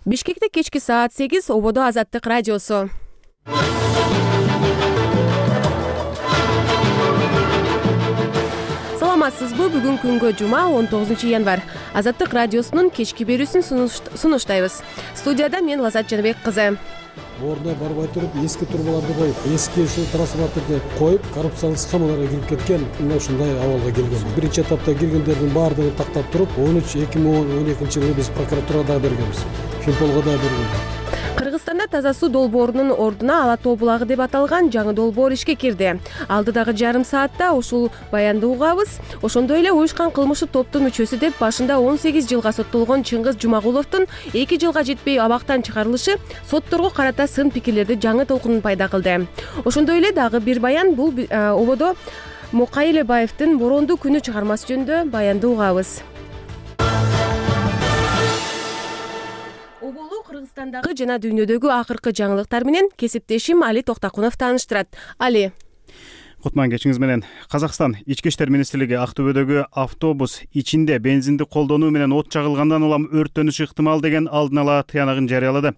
Бишкекте кечки саат 8 ободо Азаттык радиосу. Саламатсызбы? Бүгүн күнгө жума 19-январь. Азаттык радиосунун кечки берүүсүн сунуштайбыз. Студияда мен Лазат Жаныбек кызы. Ордуна барбай туруп, эски турбаларды коюп, эски ушул трансформаторду коюп, коррупциялык схемаларга кирип кеткен, мына ушундай абалга келген. Биринчи этапта киргендердин баардыгын тактап туруп, 2012-жылы биз прокуратурага бергенбиз, Финполго да бергенбиз. Кыргызстанда таза суу долбоорунун ордуна Ала тоо булагы деп аталган жаңы долбоор ишке кирди. Алдыдагы жарым саатта ушул баянды угабыз. Ошондой эле уюшкан кылмыштуу топтун мүчөсү деп башында 18 жылга соттолгон Чыңгыз Жумагуловдун 2 жылга жетпей абактан чыгарылышы сотторго карата сын пикирлерди жаңы толкунун пайда кылды. Ошондой эле дагы бир баян, бул ободо Мукай Элебаевдин Боронду күнү чыгармасы жөнүндө баянды угабыз. Кыргызстандагы жана дүйнөдөгү акыркы жаңылыктар менен кесиптешим Али Токтакунов тааныштырат. Али. Кутман кечиңиз менен. Казакстан Ички иштер министрлиги Актөбөдөгү автобус ичинде бензинди колдонуу менен от жагылгандан улам өрттөнүшү ыктымал деген алдын ала тыянагын жарыялады.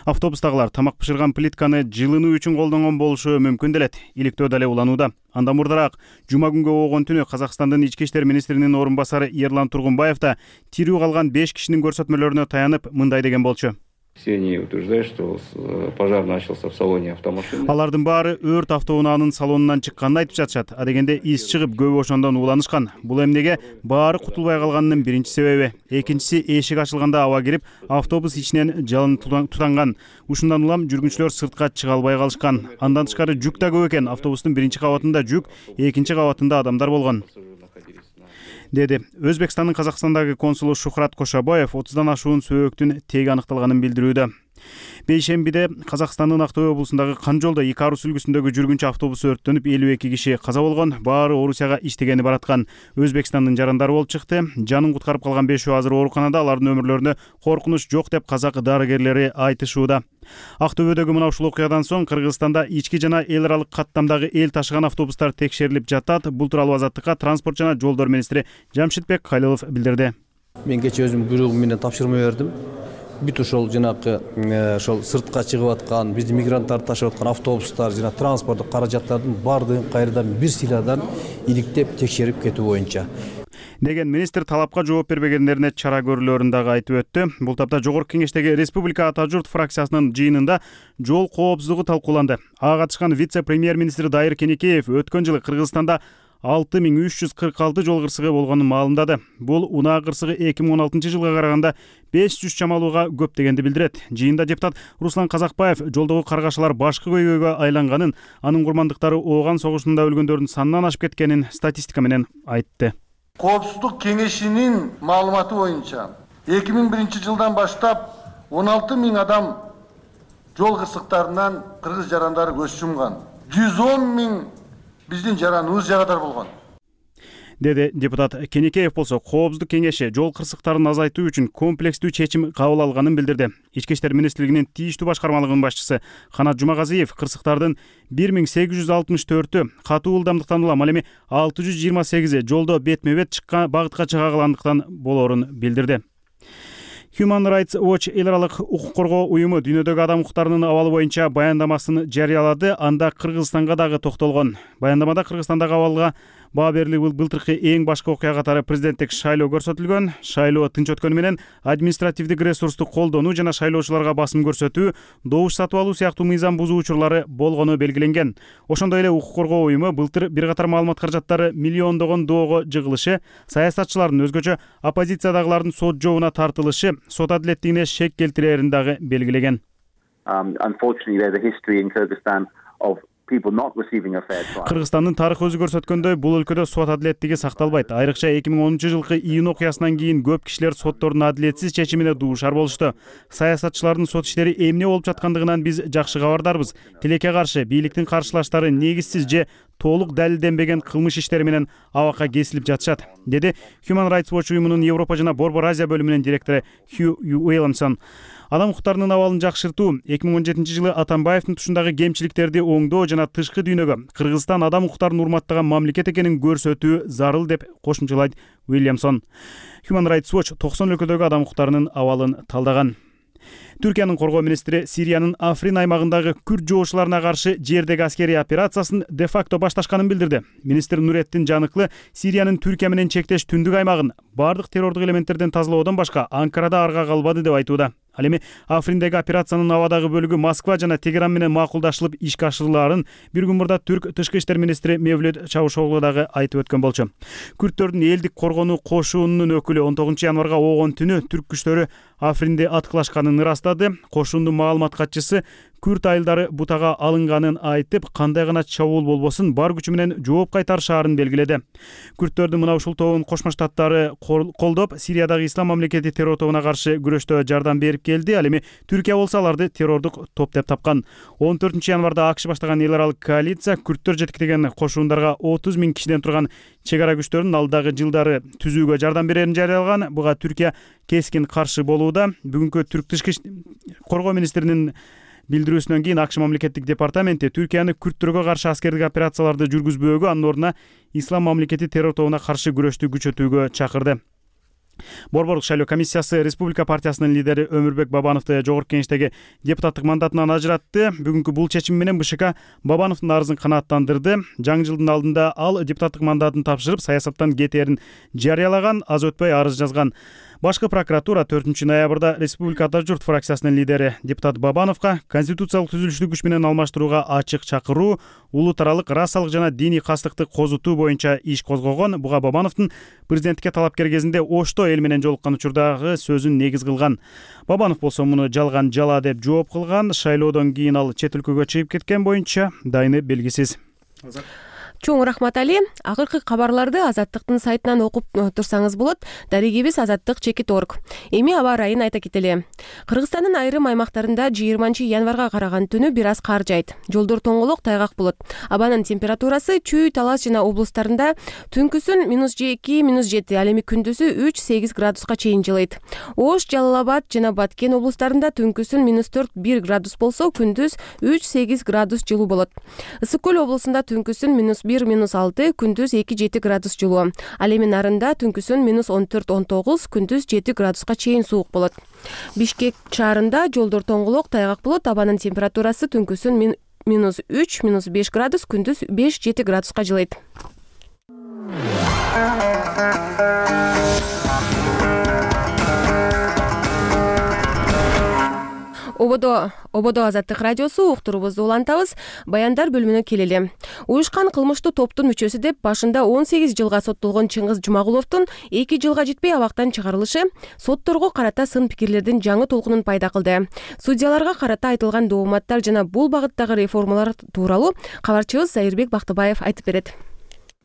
Автобустагылар тамак бышырган плитканы жылынуу үчүн колдонгон болушу мүмкүн делет. Иликтөө дале уланууда. Андан мурдараак жума күнгө огон түнү Казакстандын Ички иштер министринин орун басары Ерлан Тургунбаев да тирүү калган 5 кишинин көрсөтмөлөрүнө таянып мындай деген болчу. Все они утверждают, что пожар начался в салоне автомашины. Алардын баары өрт автоунаанын салонунан чыкканын айтып жатышат. А дегенде из чыгып көбү ошондон ууланышкан. Бул эмнеге баары кутулбай калганынын биринчи себеби. Экинчиси, эшик ачылганда аба кирип, автобус ичинен жалын тутанган. Ушундан улам жүргүнчүлөр сыртка чыга албай калышкан. Андан тышкары жүк да көп экен. Автобустун биринчи кабатында жүк, экинчи кабатында адамдар болгон, деди. Өзбекстандын Казакстандагы консулу Шухрат Кошобаев 30дан ашуун сөөгүттүн теги аныкталганын билдирүүдө. Бейшембиде Казакстандын Актөбө облусундагы Канжолдо 2 арус үлгүсүндөгү жүргүнчү автобус өрттөнүп 52 киши каза болгон, баары Орусияга иштегени бараткан. Өзбекстандын жарандары болуп чыкты. Жанын куткарып калган 5 азыр ооруканада, алардын өмүрлөрүнө коркунуч жок деп казак дарыгерлери айтышууда. Актөбөдөгү мына ушул окуядан соң Кыргызстанда ички жана эл аралык каттамдагы эл ташыган автобустар текшерилип жатат. Бул тууралуу Азаттыкка транспорт жана жолдор министри Жамшитбек Калилов билдирди. Мен кечээ өзүм буйругум менен тапшырма бердим. Бүт ошол жанакы ошол сыртка чыгып аткан, биздин мигранттарды ташып аткан автобустар жана транспорттук каражаттардын баардыгын кайрадан бир сыйладан иликтеп текшерип кетүү боюнча деген министр талапка жооп бербегендерине чара көрүлөрүн дагы айтып өттү. Бул тапта Жогорку Кеңештеги Республика Ата журт фракциясынын жыйынында жол коопсуздугу талкууланды. Ага катышкан вице-премьер-министр Дайыр Кенекеев өткөн жылы Кыргызстанда 6346 жол кырсыгы болгонун маалымдады. Бул унаа кырсыгы 2016 жылга караганда 500 чамалууга көп дегенди билдирет. Жыйында депутат Руслан Казакбаев жолдогу каргашалар башкы көйгөйгө айланганын, анын курмандыктары Ооган согушунда өлгөндөрдүн санынан ашып кеткенин статистика менен айтты. Коопсуздук кеңешинин маалыматы боюнча 2001 жылдан баштап 16 000 адам жол кырсыктарынан кыргыз жарандары көз жумган. 110 000 биздин жараныбыз жарадар болгон, деди депутат. Кенекеев болсо Коопсуздук кеңеши жол кырсыктарын азайтуу үчүн комплекстүү чечим кабыл алганын билдирди. Ички иштер министрлигинин тийиштүү башкармалыгынын башчысы Канат Жумагазиев кырсыктардын 1864-ү катуу ылдамдыктан улам, ал эми 628-и жолдо бетме-бет чыккан багытка чыга калгандыктан болоорун билдирди. Human Rights Watch эл аралык укук коргоо уюму дүйнөдөгү адам укуктарынын абалы боюнча баяндамасын жарыялады. Анда Кыргызстанга дагы токтолгон. Баяндамада Кыргызстандагы абалга баа берилүү былтыркы эң башкы окуя катары президенттик шайлоо көрсөтүлгөн. Шайлоо тынч өткөнү менен административдик ресурсту колдонуу жана шайлоочуларга басым көрсөтүү, добуш сатып алуу сыяктуу мыйзам бузуу учурлары болгону белгиленген. Ошондой эле укук коргоо уюму былтыр бир катар маалымат каражаттары миллиондогон доого жыгылышы, саясатчылардын, өзгөчө оппозициядагылардын сот жообуна тартылышы сот адилеттигине шек келтирээрин дагы белгилеген. Кыргызстандын тарыхы өзү көрсөткөндөй, бул өлкөдө сот адилеттиги сакталбайт. Айрыкча 2010-жылкы июнь окуясынан кийин көп кишилер соттордун адилетсиз чечимине дуушар болушту. Саясатчылардын сот иштери эмне болуп жаткандыгынан биз жакшы кабардарбыз. Тилекке каршы бийликтин каршылаштары негизсиз же толук далилденбеген кылмыш иштери менен абакка кесилип жатышат, деди Human Rights Watch уюмунун Европа жана Борбор Азия бөлүмүнүн директору Хью Уильямсон. Адам укуктарынын абалын жакшыртуу, 2017 жылы Атамбаевдин тушундагы кемчиликтерди оңдоо жана тышкы дүйнөгө Кыргызстан адам укуктарын урматтаган мамлекет экенин көрсөтүү зарыл деп кошумчалайт Уильямсон. Human Rights Watch 90 өлкөдөгү адам укуктарынын абалын талдаган. Түркиянын коргоо министри Сириянын Африн аймагындагы күрд жоошуларына каршы жердеги аскерий операциясын де-факто башташканын билдирди. Министр Нуретдин Жаныклы Сириянын Түркия менен чектеш түндүк аймагын бардык террордук элементтерден тазалоодон башка Анкарада арга калбады деп айтууда. Ал эми Африндеги операциянын абадагы бөлүгү Москва жана Тегеран менен макулдашылып ишке ашырылаарын бир күн мурда Түрк тышкы иштер министри Мевлют Чавушоглу дагы айтып өткөн болчу. Күрдтөрдүн элдик коргонуу кошунунун өкүлү 19 январга оогон түнү түрк күчтөрү Афринде аткылашканын ырастады. Кошундун маалымат катчысы күрд айылдары бутага алынганын айтып, кандай гана чабуул болбосун бар күчү менен жооп кайтарышаарын белгиледи. Күрдтөрдүн мына ушул тобун Кошмо Штаттары колдоп, Сириядагы Ислам мамлекети террор тобуна каршы күрөштө жардам берип келди. Ал эми Түркия болсо аларды террордук топ деп тапкан. 14 январда АКШ баштаган эл аралык коалиция күрдтөр жетектеген кошундарга 30 000 кишиден турган чек ара күчтөрүн алдагы жылдары түзүүгө жардам берерин жарыялаган. Буга Түркия кескин каршы болууда. Бүгүнкү түрк тышкы коргоо министринин билдирүүсүнөн кийин АКШ мамлекеттик департаменти Түркияны күрдтөргө каршы аскердик операцияларды жүргүзбөөгө, анын ордуна Ислам мамлекети террор тобуна каршы күрөштү күчөтүүгө чакырды. Борборлук шайлоо комиссиясы Республика партиясынын лидери Өмүрбек Бабановду жогорку кеңештеги депутаттык мандатынан ажыратты. Бүгүнкү бул чечим менен БШК Бабановдун арызын канааттандырды. Жаңы жылдын алдында ал депутаттык мандатын тапшырып, саясаттан кетээрин жарыялаган, аз өтпөй арыз жазган. Башкы прокуратура 4 ноябрда Республика Ата журт фракциясынын лидери депутат Бабановго конституциялык түзүлүштү күч менен алмаштырууга ачык чакыруу, улут аралык расалык жана диний кастыкты козутуу боюнча иш козгогон. Буга Бабановдун президенттикке талапкер кезинде Ошто эл менен жолуккан учурдагы сөзүн негиз кылган. Бабанов болсо муну жалган жала деп жооп кылган. Шайлоодон кийин ал чет өлкөгө чыгып кеткен боюнча дайыны белгисиз. Чоң рахмат Али. Акыркы кабарларды Азаттыктын сайтынан окуп турсаңыз болот. Дарегибиз azattik.org. Эми аба ырайын айта кетели. Кыргызстандын айрым аймактарында 20 январга караган түнү бир аз кар жайт. Жолдор тоңолок, тайгак болот. Абанын температурасы Чүй, Талас жана облустарында түнкүсүн -2, -7, ал эми күндүзү 3-8 градуска чейин жылыйт. Ош, Жалал Абад жана Баткен облустарында түнкүсүн -4-1 градус болсо, күндүз 3-8 градус жылуу болот. Ысык Көл облусунда түнкүсүн -1-6, күндүз 2-7 градус жылуу. Ал эми Нарында түнкүсүн -14-19, күндүз 7 градуска чейин суук болот. Бишкек шаарында жолдор тоңголок, тайгак болот. Абанын температурасы түнкүсүн -3-5 градус, күндүз 5-7 градуска жылыйт. Ободо Азаттык радиосу, уктурубузду улантабыз. Баяндар бөлүмүнө келели. Уюшкан кылмыштуу топтун мүчөсү деп башында 18 жылга соттолгон Чыңгыз Жумагуловдун 2 жылга жетпей абактан чыгарылышы сотторго карата сын пикирлердин жаңы толкунун пайда кылды. Судьяларга карата айтылган дооматтар жана бул багыттагы реформалар тууралуу кабарчыбыз Зайырбек Бактыбаев айтып берет.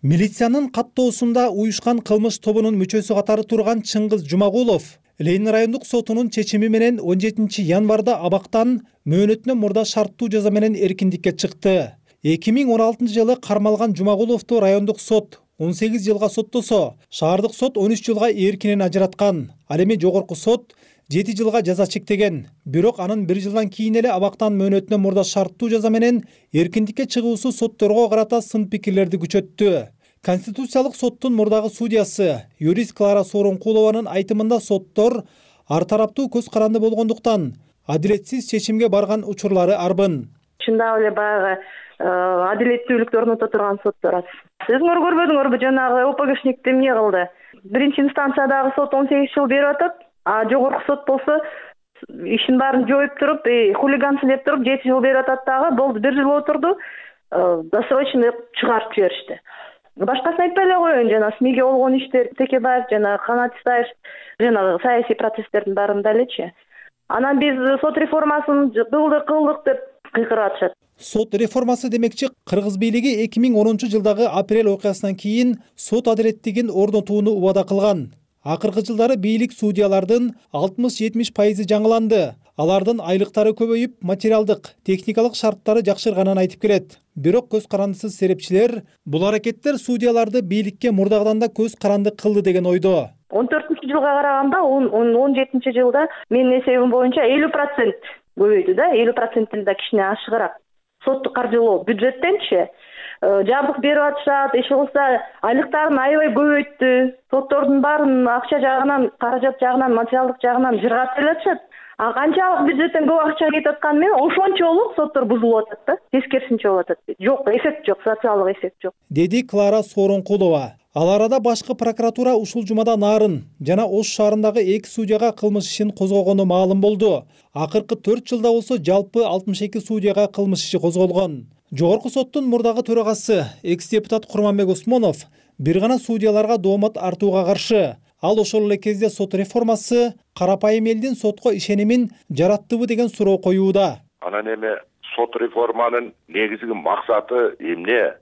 Милициянын каттоосунда уюшкан кылмыш тобунун мүчөсү катары турган Чыңгыз Жумагулов Ленин райондук сотунун чечими менен 17 январда абактан мөөнөтүнөн мурда шарттуу жаза менен эркиндикке чыкты. 2016 жылы кармалган Жумагуловду райондук сот 18 жылга соттосо, шаардык сот 13 жылга эркинен ажыраткан. Ал эми жогорку сот 7 жылга жаза чектеген. Бирок анын 1 жылдан кийин эле абактан мөөнөтүнөн мурда шарттуу жаза менен эркиндикке чыгуусу сотторго карата сын пикирлерди күчөттү. Конституциялык соттун мурдагы судьясы юрист Клара Сооронкулованын айтымында соттор ар тараптуу көз каранды болгондуктан адилетсиз чечимге барган учурлары арбын. Чындап эле баягы адилеттүүлүктү орното турган соттор аз. Өзүңөр көрбөдүңөрбү, жанагы ОПГшник эмне кылды? Биринчи инстанциядагы сот 18 жыл берип атат, а жогорку сот болсо ишин баарын жооп туруп, хулигансы деп туруп 7 жыл берип атат дагы, болду 1 жыл отурду, досрочно чыгарып жиберишти. Башкасын айтпай эле коеюн, жана СМИге болгон иштер, Текебаев жана Канат Исаев жана саясий процесстердин баарында элечи. Анан биз сот реформасын кылдык деп кыйкырып атышат. Сот реформасы демекчи Кыргыз бийлиги 2010 жылдагы апрель окуясынан кийин сот адилеттигин орнотууну убада кылган. Акыркы жылдары бийлик судьялардын 60-70% жаңыланды. Алардын айлыктары көбөйүп, материалдык, техникалык шарттары жакшырганын айтып келет. Бирок көз карандысыз серепчилер бул аракеттер судьяларды бийликке мурдагыдан да көз каранды кылды деген ойдо. 14 жылга караганда 17 жылда менин эсебим боюнча 50% көбөйдү да, 50% да кичине ашыгыраак. Сотту каржылоо бюджеттенчи жабдык берип атышат, иши кылса айлыктарын аябай көбөйттү. Соттордун баарын акча жагынан, каражат жагынан, материалдык жагынан жыргап келатышат. А канчалык бюджеттен көп акча кетип атканы менен ошончолук соттор бузулуп атат да, тескерисинче болуп атат. Жок, эффект жок, социалдык эффект жок, деди Клара Сооронкулова. Ал арада башкы прокуратура ушул жумада Нарын жана Ош шаарындагы 2 судьяга кылмыш ишин козгогону маалым болду. Акыркы 4 жылда болсо жалпы 62 судьяга кылмыш иши козголгон. Жогорку соттун мурдагы төрагасы экс-депутат Курманбек Усмонов бир гана судьяларга доомат артууга каршы. Ал ошол эле кезде сот реформасы карапайым элдин сотко ишенимин жараттыбы деген суроо коюуда. Анан эми сот реформанын негизги максаты эмне?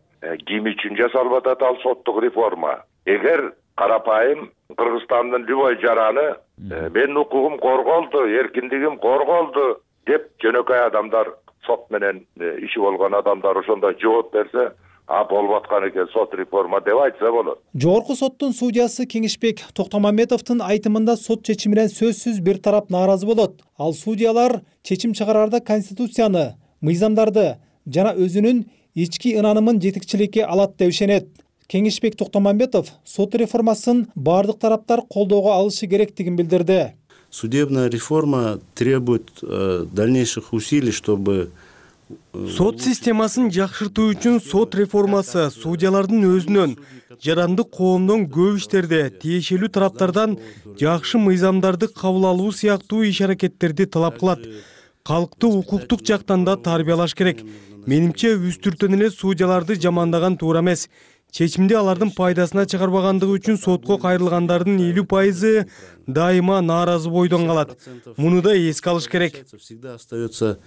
Ким үчүн жасалып атат ал соттук реформа? Эгер карапайым Кыргызстандын любой жараны менин укугум корголду, эркиндигим корголду деп жөнөкөй адамдар, сот менен иши болгон адамдар ошондой жооп берсе, болуп аткан экен сот реформа деп айтса болот. Жогорку соттун судьясы Кеңешбек Токтомамбетовдун айтымында сот чечиминен сөзсүз бир тарап нааразы болот. Ал судьялар чечим чыгарарда конституцияны, мыйзамдарды жана өзүнүн ички ынанымын жетекчиликке алат деп ишенет. Кеңешбек Токтомамбетов сот реформасын бардык тараптар колдоого алышы керектигин билдирди. Судебная реформа требует дальнейших усилий, чтобы сот системасын жакшыртуу үчүн сот реформасы судьялардын өзүнөн, жарандык коомдон көп иштерде тиешелүү тараптардан жакшы мыйзамдарды кабыл алуу сыяктуу иш-аракеттерди талап кылат. Калкты укуктук жактан да тарбиялаш керек. Менимче үстүртөн эле судьяларды жамандаган туура эмес. Чечимди алардын пайдасына чыгарбагандыгы үчүн сотко кайрылгандардын 50% дайыма нааразы бойдон калат. Муну да эске алыш керек. Всегда остается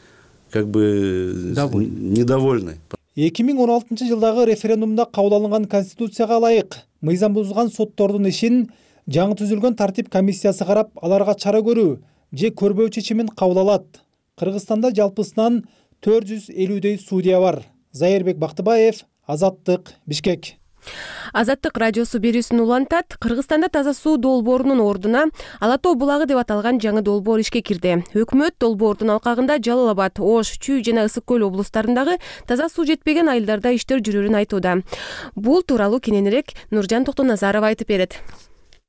как бы недовольны. 2016 жылдагы референдумда кабыл алынган конституцияга ылайык мыйзам бузулган соттордун ишин жаңы түзүлгөн тартип комиссиясы карап, аларга чара көрүү же көрбөө чечимин кабыл алат. Кыргызстанда жалпысынан 450дөй судья бар. Зайырбек Бактыбаев, Азаттык, Бишкек. Азаттык радиосу берүүсүн улантат. Кыргызстанда таза суу долбоорунун ордуна Ала тоо булагы деп аталган жаңы долбоор ишке кирди. Өкмөт долбоордун алкагында Жалал Абад, Ош, Чүй жана Ысык көл облустарындагы таза суу жетпеген айылдарда иштер жүрөрүн айтууда. Бул тууралуу кененирээк Нуржан Токтоназаров айтып берет.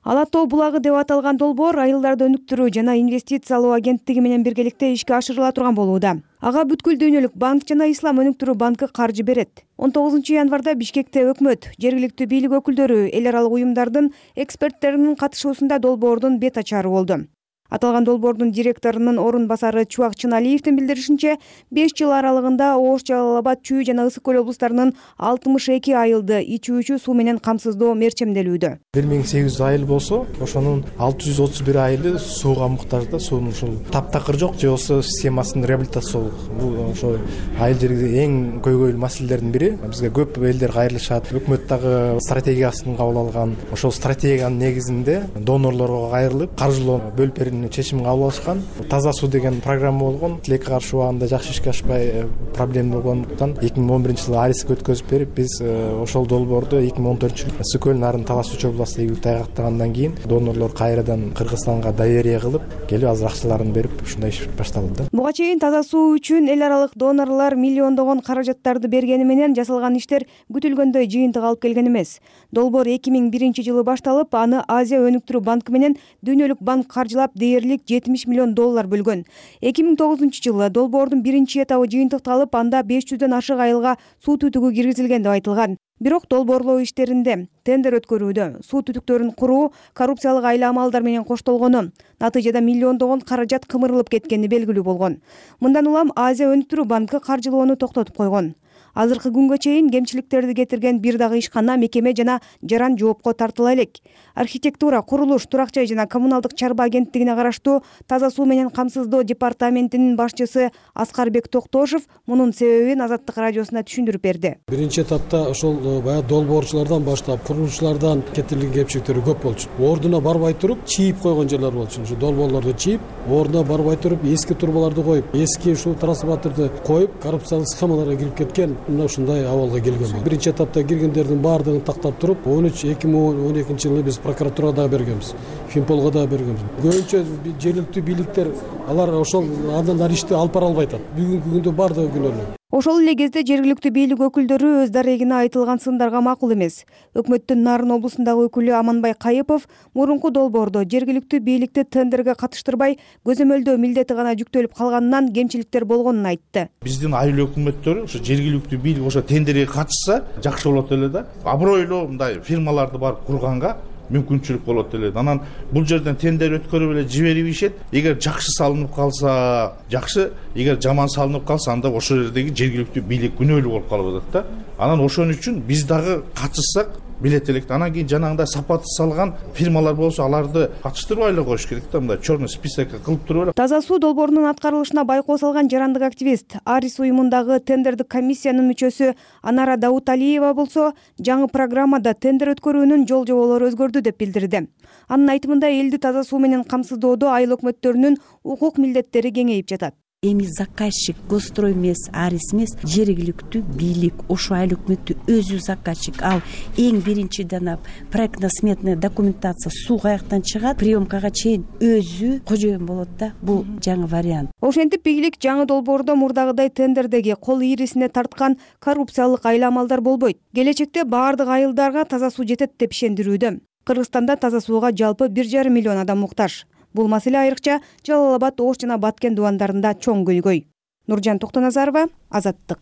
Ала тоо булагы деп аталган долбоор айылдарды өнүктүрүү жана инвестициялоо агенттиги менен биргеликте ишке ашырыла турган болууда. Ага бүткүл дүйнөлүк банк жана Ислам өнүктүрүү банкы каржы берет. 19 январда Бишкекте өкмөт, жергиликтүү бийлик өкүлдөрү, эл аралык уюмдардын эксперттеринин катышуусунда долбоордун бет ачары болду. Аталган долбоордун директорунун орун басары Чубак Чыналиевдин билдиришинче, 5 жыл аралыгында Ош, Жалал Абад, Чүй жана Ысык көл облустарынын 62 айылды ичүүчү суу менен камсыздоо мерчемделүүдө. 1800 айыл болсо, ошонун 631 айылы сууга муктаж да, суунун ушул таптакыр жок же болсо системасынын реабилитациялык. Бул ошо айыл жерде эң көйгөйлүү маселелердин бири. Бизге көп элдер кайрылышат. Өкмөт дагы стратегиясын кабыл алган. Ошол стратегиянын негизинде донорлорго кайрылып, каржылоо бөлүп чечим кабыл алышкан. Таза суу деген программа болгон. Тилекке каршы убагында жакшы ишке ашпай проблема болгондуктан 2011-жылы ариске өткөзүп берип, биз ошол долбоорду 2014-жылы Ысык көл Нарын Талас Үч областында ийгиликти айгактагандан кийин донорлор кайрадан Кыргызстанга доверие кылып, келип азыр акчаларын берип, ушундай иш башталды. Буга чейин таза суу үчүн эл аралык донорлор миллиондогон каражаттарды бергени менен жасалган иштер күтүлгөндөй жыйынтык алып келген эмес. Долбоор 2001-жылы башталып, аны Азия өнүктүрүү банкы менен Дүйнөлүк банк каржылап дээрлик $70 миллион бөлгөн. 2009-жылы долбоордун биринчи этабы жыйынтыкталып, анда 500дөн ашык айылга суу түтүгү киргизилген деп айтылган. Бирок долбоорлоо иштеринде тендер өткөрүүдө суу түтүктөрүн куруу коррупциялык айла амалдар менен коштолгону, натыйжада миллиондогон каражат кымырылып кеткени белгилүү болгон. Мындан улам Азия өнүктүрүү банкы каржылоону токтотуп койгон. Азыркы күнгө чейин кемчиликтерди кетирген бир дагы ишкана, мекеме жана жаран жоопко тартыла элек. Архитектура, курулуш, турак жай жана коммуналдык чарба агенттигине караштуу таза суу менен камсыздоо департаментинин башчысы Аскарбек Токтошев мунун себебин Азаттык радиосуна түшүндүрүп берди. Биринчи этапта ошол баягы долбоорчулардан баштап, курулушчулардан кетирилген кемчиликтер көп болчу. Ордуна барбай туруп, чийип койгон жерлер болчу. Ушу долбоорлорду чийип, ордуна барбай туруп, эски турбаларды коюп, эски ушул трансформаторду коюп, коррупциялык схемаларга кирип кеткен мына ушундай абалга келген болду. Биринчи этапта киргендердин баардыгын тактап туруп, 2012-жылы биз прокуратурага да бергенбиз, Финполго да бергенбиз. Көбүнчө жергиликтүү бийликтер алар ошол андан ишти алып бара албай атат. Бүгүнкү күндө баардыгы күнөөлүү. Ошол эле кезде жергиликтүү бийлик өкүлдөрү өз дарегине айтылган сындарга макул эмес. Өкмөттүн Нарын облусундагы өкүлү Аманбай Кайыпов мурунку долбоордо жергиликтүү бийликти тендерге катыштырбай көзөмөлдөө милдети гана жүктөлүп калганынан кемчиликтер болгонун айтты. Биздин айыл өкмөттөрү ошо жергиликтүү бийлик ошо тендерге катышса жакшы болот эле да. Абройлуу мындай фирмаларды барып курганга мүмкүнчүлүк болот эле. Анан бул жерден тендер өткөрүп эле жиберип ишет. Эгер жакшы салынып калса жакшы, эгер жаман салынып калса анда ошол жердеги жергиликтүү бийлик күнөөлүү болуп калып атат да. Анан ошон үчүн биз дагы катышсак билет элек. Анан кийин жанагындай сапаты салган фирмалар болсо аларды катыштырбай эле коюш керек да, мындай черный списокко кылып туруп эле. Таза суу долбоорунун аткарылышына байкоо салган жарандык активист Арис уюмундагы тендердик комиссиянын мүчөсү Анара Дауталиева болсо жаңы программада тендер өткөрүүнүн жол жоболору өзгөрдү деп билдирди. Анын айтымында элди таза суу менен камсыздоодо айыл өкмөттөрүнүн укук милдеттери кеңейип жатат. Эми заказчик Госстрой эмес, Арис эмес, жергиликтүү бийлик, ошо айыл өкмөттү өзү заказчик. Ал эң биринчиден проектно-сметная документация суу каяктан чыгат, приемкага чейин өзү кожоюн болот да. Бул жаңы вариант. Ошентип бийлик жаңы долбоордо мурдагыдай тендердеги кол ийрисине тарткан коррупциялык айла-амалдар болбойт. Келечекте баардык айылдарга таза суу жетет деп ишендирүүдө. Кыргызстанда таза сууга жалпы 1,5 миллион адам муктаж. Бул маселе айрыкча Жалал Абад, Ош жана Баткен дубандарында чоң көйгөй. Нуржан Токтоназарова, Азаттык.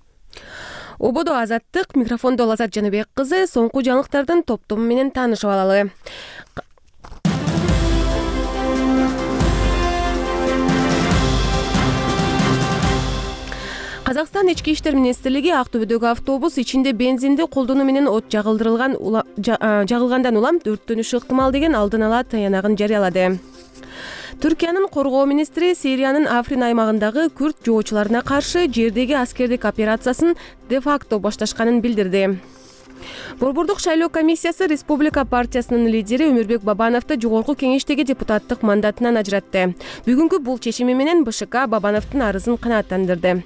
Ободо Азаттык, микрофондо Лазат Жаныбек кызы. Соңку жаңылыктардын топтому менен таанышып алалы. Казакстан ички иштер министрлиги Актөбөдөгү автобус ичинде бензинди колдонуу менен от жагылгандан улам өрттөнүшү ыктымал деген алдын ала таянагын жарыялады. Түркиянын коргоо министри Сириянын Африн аймагындагы күрд жоочуларына каршы жердеги аскердик операциясын де-факто башташканын билдирди. Борбордук шайлоо комиссиясы Республика партиясынын лидери Өмүрбек Бабановду жогорку кеңештеги депутаттык мандатынан ажыратты. Бүгүнкү бул чечими менен БШК Бабановдун арызын канааттандырды.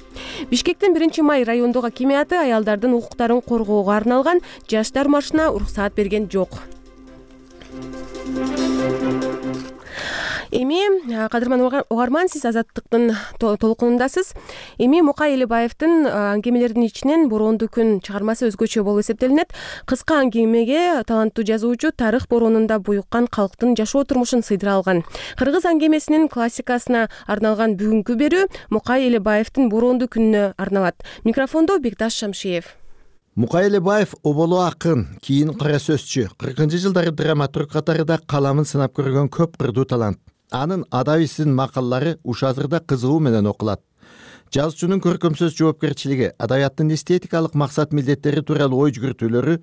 Бишкектин 1-май райондук акимиаты аялдардын укуктарын коргоого арналган жаштар маршына уруксаат берген жок. Эми кадырман угарман, сиз Азаттыктын толкунундасыз. Эми Мукай Элибаевдин аңгемелеринин ичинен Бороондуу күн чыгармасы өзгөчө болуп эсептелинет. Кыска аңгемеге таланттуу жазуучу тарых бороонунда буюккан калктын жашоо турмушун сыйдыра алган. Кыргыз аңгемесинин классикасына арналган бүгүнкү берүү Мукай Элибаевдин Бороондуу күнүнө арналат. Микрофондо Бекташ Шамшиев. Мукай Элибаев оболу акын, кийин кара сөзчү, 40-жылдары драматург катарында каламын сынап көргөн көп кырдуу талант. Анын адабийсиздин макалалары уш азырда кызыгуу менен окулат. Жазуучунун көркөмсөз жоопкерчилиги, адабияттын эстетикалык максат милдеттери тууралуу ой жүгүртүүлөрү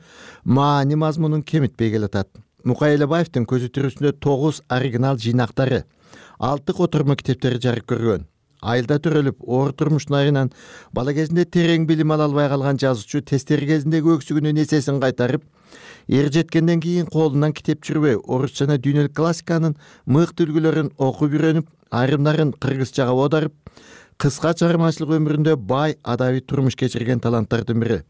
маани мазмунун кемитпей келатат. Мукай Элибаевдин көзү тирүүсүндө 9 оригинал жыйнактары, 6 котормо китептери жарык көргөн. Айылда төрөлүп, оор турмуштун айынан бала кезинде терең билим ала албай калган жазуучу тестери кезиндеги өксүгүнүн эсесин кайтарып, эр жеткенден кийин колунан китеп жүрбөй, орус жана дүйнөлүк классиканын мыкты үлгүлөрүн окуп үйрөнүп, айрымдарын кыргызчага оодарып, кыска чыгармачылык өмүрүндө бай адабий турмуш кечирген таланттардын бири.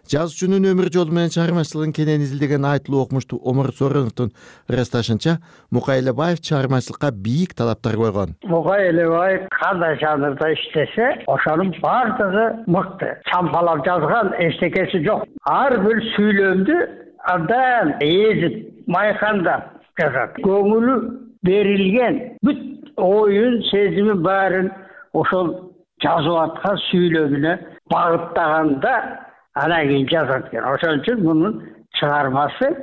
Жазуучунун өмүр жолу менен чыгармачылыгын кенен изилдеген айтылуу окумуштуу Омар Соороновдун ырасташынча, Мукай Элибаев чыгармачылыкка бийик талаптар койгон. Мукай Элибаев кандай жанрда иштесе, ошонун бардыгы мыкты. Чампалап жазган эчтекеси жок. Ар бир сүйлөмдү абдан эзип, майкандап жазат. Көңүлү берилген бүт оюн, сезими баарын ошол жазып аткан сүйлөмүнө багыттаганда анан кийин жазат экен. Ошон үчүн мунун чыгармасы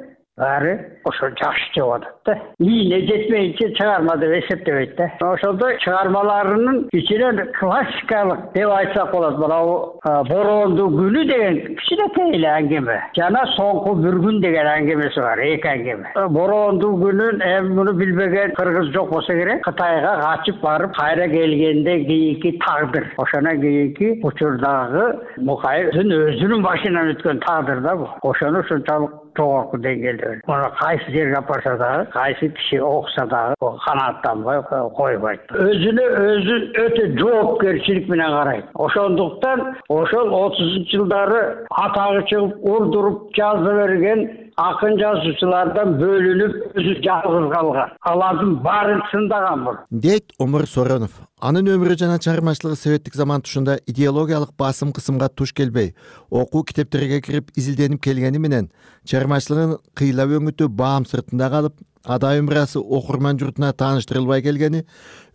баары ошо жакшы чыгып атат да. Ийине жетмейинче чыгарма деп эсептебейт да. Ошондой чыгармаларынын ичинен классикалык деп айтсак болот. Мына Бороондуу күнү деген кичинекей эле аңгеме. Жана Соңку бир күн деген аңгемеси бар, эки аңгеме. Бороондуу күнүн эми муну билбеген кыргыз жок болсо керек. Кытайга качып барып, кайра келгенде кийинки тагдыр. Ошондон кийинки учурдагы Мукайдын өзүнүн башынан өткөн тагдыр да бул. Ошону ушунчалык жогорку деңгээлде. Муну кайсы жерге алып барса дагы, кайсы киши окуса дагы канааттанбай койбойт. Өзүнө өзү өтө жоопкерчилик менен карайт. Ошондуктан ошол 30-жылдары атагы чыгып урдуруп жаза берген акын жазуучулардан бөлүнүп өзү жалгыз калган. Алардын баарын чындаган бул, дейт Омур Соронов. Анын өмүрү жана чыгармачылыгы советтик заман тушунда идеологиялык басым кысымга туш келбей, окуу китептерге кирип изилденип келгени менен чыгармачылыгын кыйлап өңүтү баам сыртында калып, адай өмүрасы окурман журтуна тааныштырылбай келгени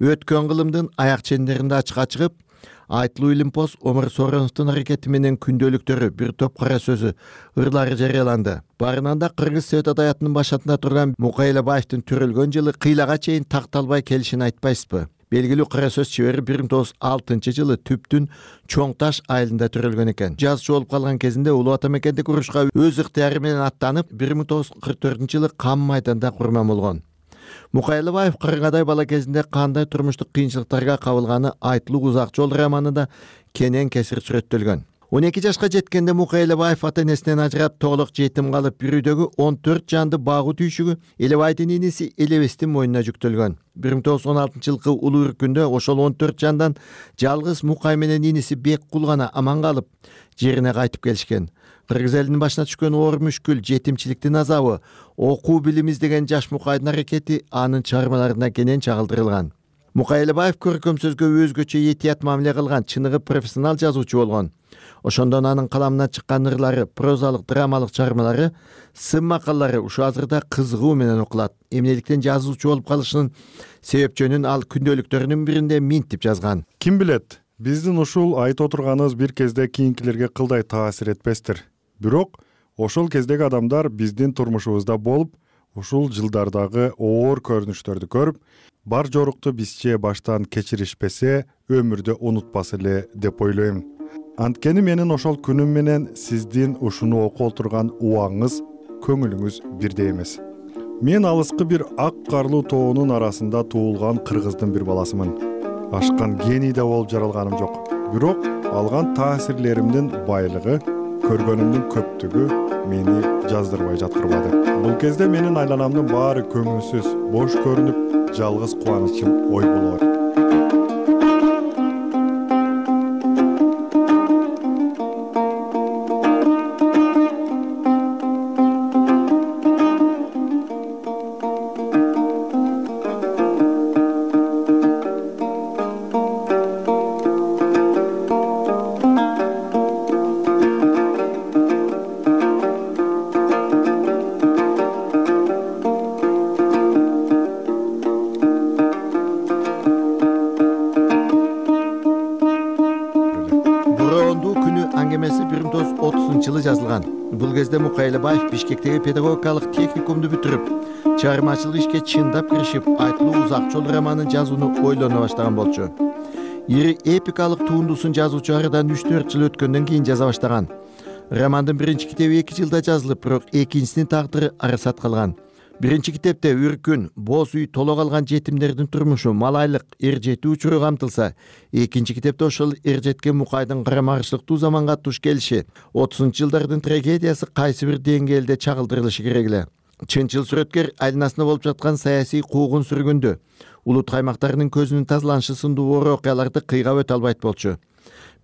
өткөн кылымдын аяк чендеринде ачыкка чыгып, Айтылуу Илимпоз Омур Сороновдун аракети менен күндөлүктөрү, бир топ кара сөзү, ырлары жарыяланды. Барынан да Кыргыз Совет адаятынын башатында турган Мукайлабаевдин төрөлгөн жылы кыйлага чейин такталбай келишин айтпайсызбы? Белгилүү кара сөз чебери 1906 Түптүн Чоң Таш айылында төрөлгөн экен. Жазчу болуп калган кезинде Улуу Ата мекендеги урушка өз ыктыяры менен аттанып, 1944 Кам майданда курман болгон. Мукайлабаев кыргыдай бала кезинде кандай турмуштук кыйынчылыктарга кабылганы Айтылуу Узак жол романында кенен кесир сүрөттөлгөн. 12 жашка жеткенде Мукайлабаев ата-энесинен ажырап, тоголок жетим калып, бир үйдөгү 14 жанды багуу түйшүгү Элебайдын иниси Элебестин мойнуна жүктөлгөн. 1916 улуу үркүндө ошол 14 жандан жалгыз Мукай менен иниси Беккул гана аман калып, жерине кайтып келишкен. Кыргыз элинин башына түшкөн оор мүшкүл, жетимчиликтин азабы, окуу билим издеген жаш Мукайдын аракети анын чыгармаларына кенен чагылдырылган. Мукайлабаев көркөм сөзгө өзгөчө этият мамиле кылган, чыныгы профессионал жазуучу болгон. Ошондон анын каламынан чыккан ырлары, прозалык, драмалык чыгармалары, сын макаллары ушу азырда кызыгуу менен окулат. Эмнеликтен жазуучу болуп калышынын себепчөнүн ал күндөлүктөрүнүн биринде минтип жазган. Ким билет, биздин ушул айтып отурганыбыз бир кезде кийинкилерге кылдай таасир этпестир. Бирок ошол кездеги адамдар биздин турмушубузда болуп, ушул жылдардагы оор көрүнүштөрдү көрүп, бар жорукту бизче баштан кечиришпесе, өмүрдө унутпас эле деп ойлойм. Анткени менин ошол күнүм менен сиздин ушуну окуп отурган убаңыңыз, көңүлүңүз бирдей эмес. Мен алыскы бир ак карлуу тоонун арасында туулган кыргыздын бир баласымын. Ашкан гений да болуп жаралганым жок. Бирок алган таасирлеримдин байлыгы, көргөнүмдүн көптүгү мени жаздырбай жаткырбады. Бул кезде менин айланамдын баары көңүлсүз, бош көрүнүп, жалгыз кубанычым ой болор. жазылган. Бул кезде Мукайлабаев Бишкектеги педагогикалык техникумду бүтүрүп, чыгармачылык ишке чындап киришип, Айтылуу Узак жол романын жазууну ойлоно баштаган болчу. Ири эпикалык туындусун жазуучу арадан 3-4 жыл өткөндөн кийин жаза баштаган. Романдын биринчи китеби 2 жылда жазылып, бирок экинчисинин тагдыры арасат калган. Биринчи китепте үркүн, боз үй, толо калган жетимдердин турмушу, малайлык, эр жетүү учуру камтылса, экинчи китепте ошол эр жеткен Мукайдын карамарышлыктуу заманга туш келиши, 30-жылдардын трагедиясы кайсы бир деңгээлде чагылдырылышы керек эле. Чынчыл сүрөткер айланасында болуп жаткан саясий куугун сүргүндү, улут каймактарынын көзүнүн тазаланышы сындуу оор окуяларды кыйгап өтө албайт болчу.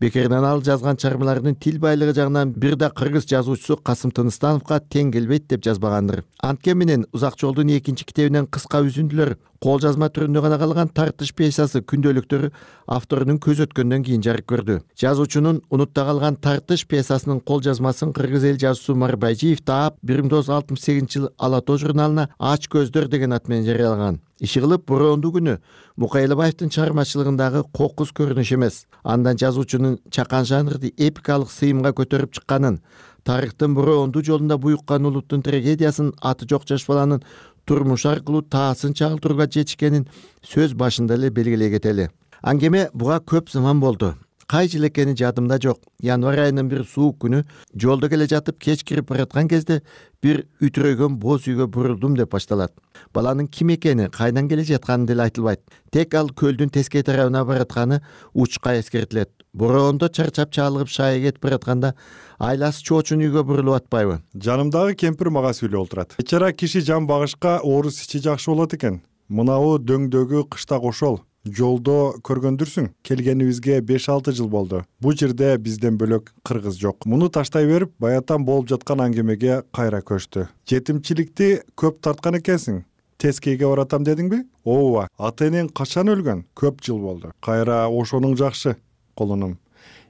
Бекеринен ал жазган чыгармаларынын тил байлыгы жагынан бир да кыргыз жазуучусу Касым Тыныстановго тең келбейт деп жазбагандыр. Анткени менен Узак жолдун экинчи китебинен кыска үзүндүлөр, кол жазма түрүндө гана калган тартыш пьесасы күндөлүктөрү авторунун көз өткөндөн кийин жарык көрдү. Жазуучунун унутта калган тартыш пьесасынын кол жазмасын кыргыз эл жазуучусу Марбайжиев таап 1968 Ала тоо журналына Ач көздөр деген ат менен жарыялаган. Иши кылып бороондуу күнү Мукайлабаевдин чыгармачылыгындагы кокус көрүнүш эмес, андан жазуучунун чакан жанрды эпикалык сыйымга көтөрүп чыкканын, тарыхтын бороондуу жолунда буюккан улуттун трагедиясын аты жок жаш баланын турмуш аркылуу таасын чагылтырууга жетишкенин сөз башында эле белгилей кетели. Аңгеме буга көп заман болду. Кай жыл экени жадымда жок. Январь айынын бир суук күнү жолдо келе жатып кеч кирип бараткан кезде бир үтүрөгөн боз үйгө бурулдум деп башталат. Баланын ким экени, кайдан келе жатканы деле айтылбайт. Тек ал көлдүн тескей тарабына баратканы учка эскертилет. Бороондо чарчап чалыгып шайы кетип баратканда айласы чоочун үйгө бурулуп атпайбы? Жанымдагы кемпир мага сүйлөп отурат. Бечара киши жан багышка орус ичи жакшы болот экен. Мынабу дөңдөгү кыштак ошол. жолдо көргөндүрсүң, келгенибизге 5-6 жыл болду. Бул жерде бизден бөлөк кыргыз жок. Муну таштай берип, баятан болуп жаткан аңгемеге кайра көчтү. Жетимчиликти көп тарткан экенсиң. Тескейге баратам дедиңби? Ооба, ата-энең качан өлгөн? Көп жыл болду. Кайра ошонуң жакшы, колунум.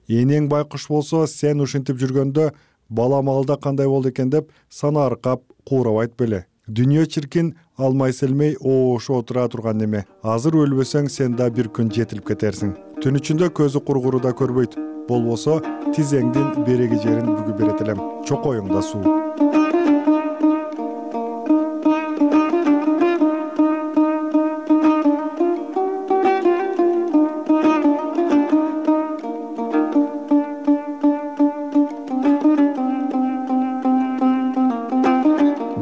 Энең байкуш болсо, сен ушинтип жүргөндө балам алда кандай болду экен деп сана аркап куурап айтпеле. Дүнүйө чиркин алмай селмей ошо отура турган неме. Азыр өлбөсөң сен да бир күн жетилип кетерсиң. Түн ичинде көзү кургуру да көрбөйт. Болбосо тизеңдин береги жерин бүгүп берет элем. Чокоюңда суу.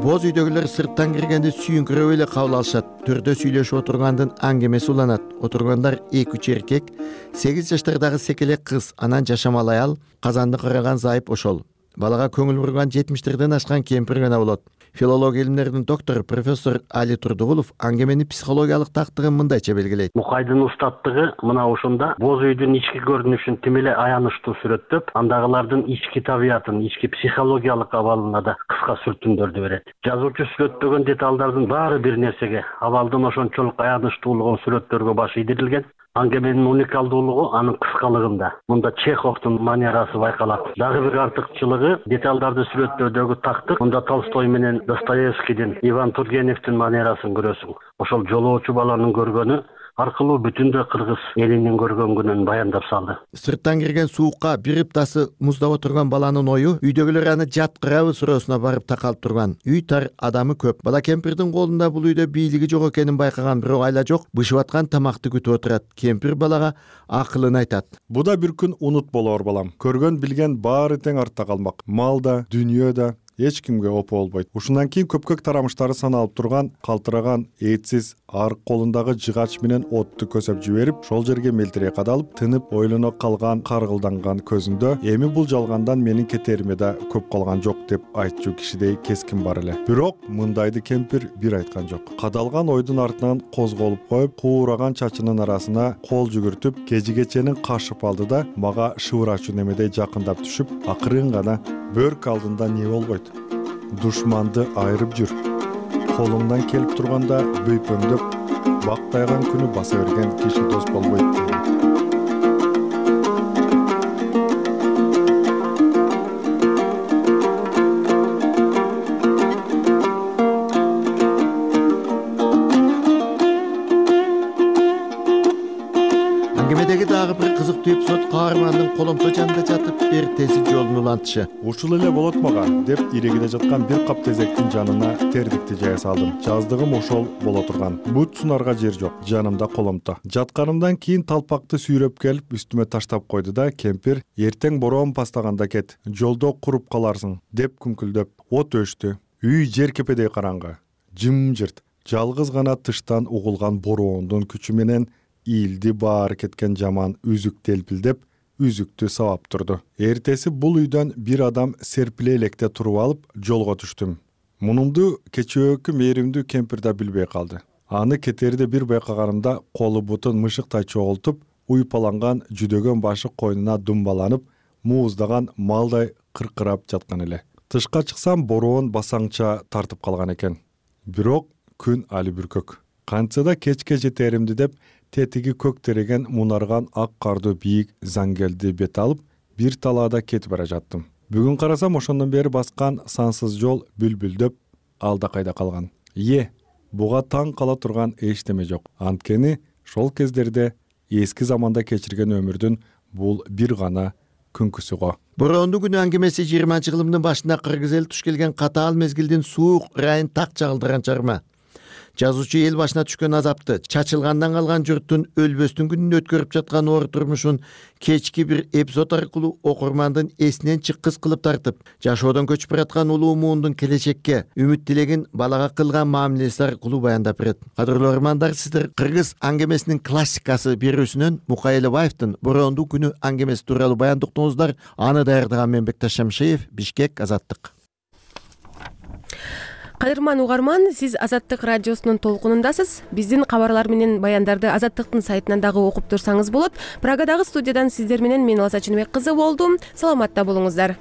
Боз үйдөгүлөр сырттан киргенде сүйүнкүрөп эле кабыл алышат. Төрдө сүйлөшүп отургандын аңгемеси уланат. Отургандар 2-3 эркек, 8 жаштардагы секелек кыз, анан жашамал аял, казанды караган зайып ошол. Балага көңүл бурган 70-терден ашкан кемпир гана болот. Филология илимдеринин доктору профессор Али Турдугулов аңгеменин психологиялык тактыгын мындайча белгилейт. Мукайдын устаттыгы мына ошондо боз үйдүн ички көрүнүшүн тим эле аянычтуу сүрөттөп, андагылардын ички табиятын, ички психологиялык абалына да кыска сүртүмдөрдү берет. Жазуучу сүрөттөгөн деталдардын баары бир нерсеге, абалдын ошончолук аянычтуулугун сүрөттөргө баш ийдирилген. Аңгеменин уникалдуулугу анын кыскалыгында. Мында Чеховдун манерасы байкалат. Дагы бир артыкчылыгы деталдарды сүрөттөөдөгү тактык. Мында Толстой менен Достоевскийдин, Иван Тургеневдин манерасын көрөсүң. Ошол жолоочу баланын көргөнү аркылуу бүтүндөй кыргыз элинин көргөн күнүн баяндап салды. Сырттан кирген суукка бир ыптасы муздап отурган баланын ою үйдөгүлөр аны жаткырабы суроосуна барып такалып турган. Үй тар, адамы көп. Бала кемпирдин колунда бул үйдө бийлиги жок экенин байкаган бирок айла жок, бышып аткан тамакты күтүп отурат. Кемпир балага акылын айтат. Бу да бир күн унут болор балам. Көргөн билген баары тең артта калмак. Малда, дүйнөдө эч кимге опо болбойт. Ушундан кийин көпкөк тарамыштары саналып турган, калтыраган, этсиз арк колундагы жыгач менен отту көсөп жиберип, шол жерге мелтирей кадалып, тынып, ойлоно калган, каргылданган көзүндө эми бул жалгандан менин кетериме да көп калган жок деп айтчу кишидей кескин бар эле. Бирок мындайды кемпир бир айткан жок. Кадалган ойдун артынан козголуп коюп, куураган чачынын арасына кол жүгүртүп, кежигеченин кашып алды да мага шыбырачу немедей жакындап түшүп, акырын гана бөрк алдында не болбойт? Душманды айырып жүр. Колуңдан келип турганда бөйпөңдөп, бактайган күнү баса берген киши дос болбойт дейм. Аңгемедеги дагы бир кызыктуу эпизод каармандын коломто жанында жатып эртеси жолун улантышы. Ушул эле болот мага деп ирегиде жаткан бир кап тезектин жанына тердикти жая салдым. Жаздыгым ошол боло турган. Бут сунарга жер жок, жанымда коломто. Жатканымдан кийин талпакты сүйрөп келип үстүмө таштап койду да кемпир эртең бороон бастаганда кет, жолдо куруп каларсың деп күңкүлдөп от өчтү. Үй жер кепедей караңгы, жымжырт, жалгыз гана тыштан угулган бороондун күчү менен ийилди баары кеткен жаман үзүк телпилдеп, үзүктү сабап турду. Эртеси бул үйдөн бир адам серпиле электе туруп алып жолго түштүм. Мунумду кечөөкү мээримдүү кемпир да билбей калды. Аны кетерде бир байкаганымда колу бутун мышыктай чогултуп, уйпаланган жүдөгөн башы койнуна думбаланып, мууздаган малдай кыркырап жаткан эле. Тышка чыксам бороон басаңча тартып калган экен. Бирок күн али бүркөк. Кантса да кечке жетеримди деп тетиги көк тереген мунарган ак карды бийик заңгелди бет алып, бир талаада кетип бара жаттым. Бүгүн карасам ошондон бери баскан сансыз жол бүлбүлдөп алда кайда калган. Буга таң кала турган эчтеме жок. Анткени шол кездерде эски заманда кечирген өмүрдүн бул бир гана күнкүсү го. Бороондуу күнү аңгемеси 20-жылдын башында кыргыз эл туш келген катаал мезгилдин суук ырайын так чагылдырган чарма. Жазуучу эл башына түшкөн азапты, чачылгандан калган журттун өлбөстүн күнүн өткөрүп жаткан оор турмушун кечки бир эпизод аркылуу окурмандын эсинен чыккыс кылып тартып, жашоодон көчүп бараткан улуу муундун келечекке үмүт тилегин балага кылган мамилеси аркылуу баяндап берет. Кадырлуу окурмандар, сиздер кыргыз аңгемесинин классикасы берүүсүнөн Мукай Элебаевдин Бороондуу күнү аңгемеси тууралуу баян уктуңуздар. Аны даярдаган мен Бекташ Шамшиев, Бишкек, Азаттык. Кадырман угарман, сиз Азаттык радиосунун толкунундасыз. Биздин кабарлар менен баяндарды Азаттыктын сайтынан дагы окуп турсаңыз болот. Прагадагы студиядан сиздер менен мен Алса Чыныбек кызы болдум. Саламатта болуңуздар.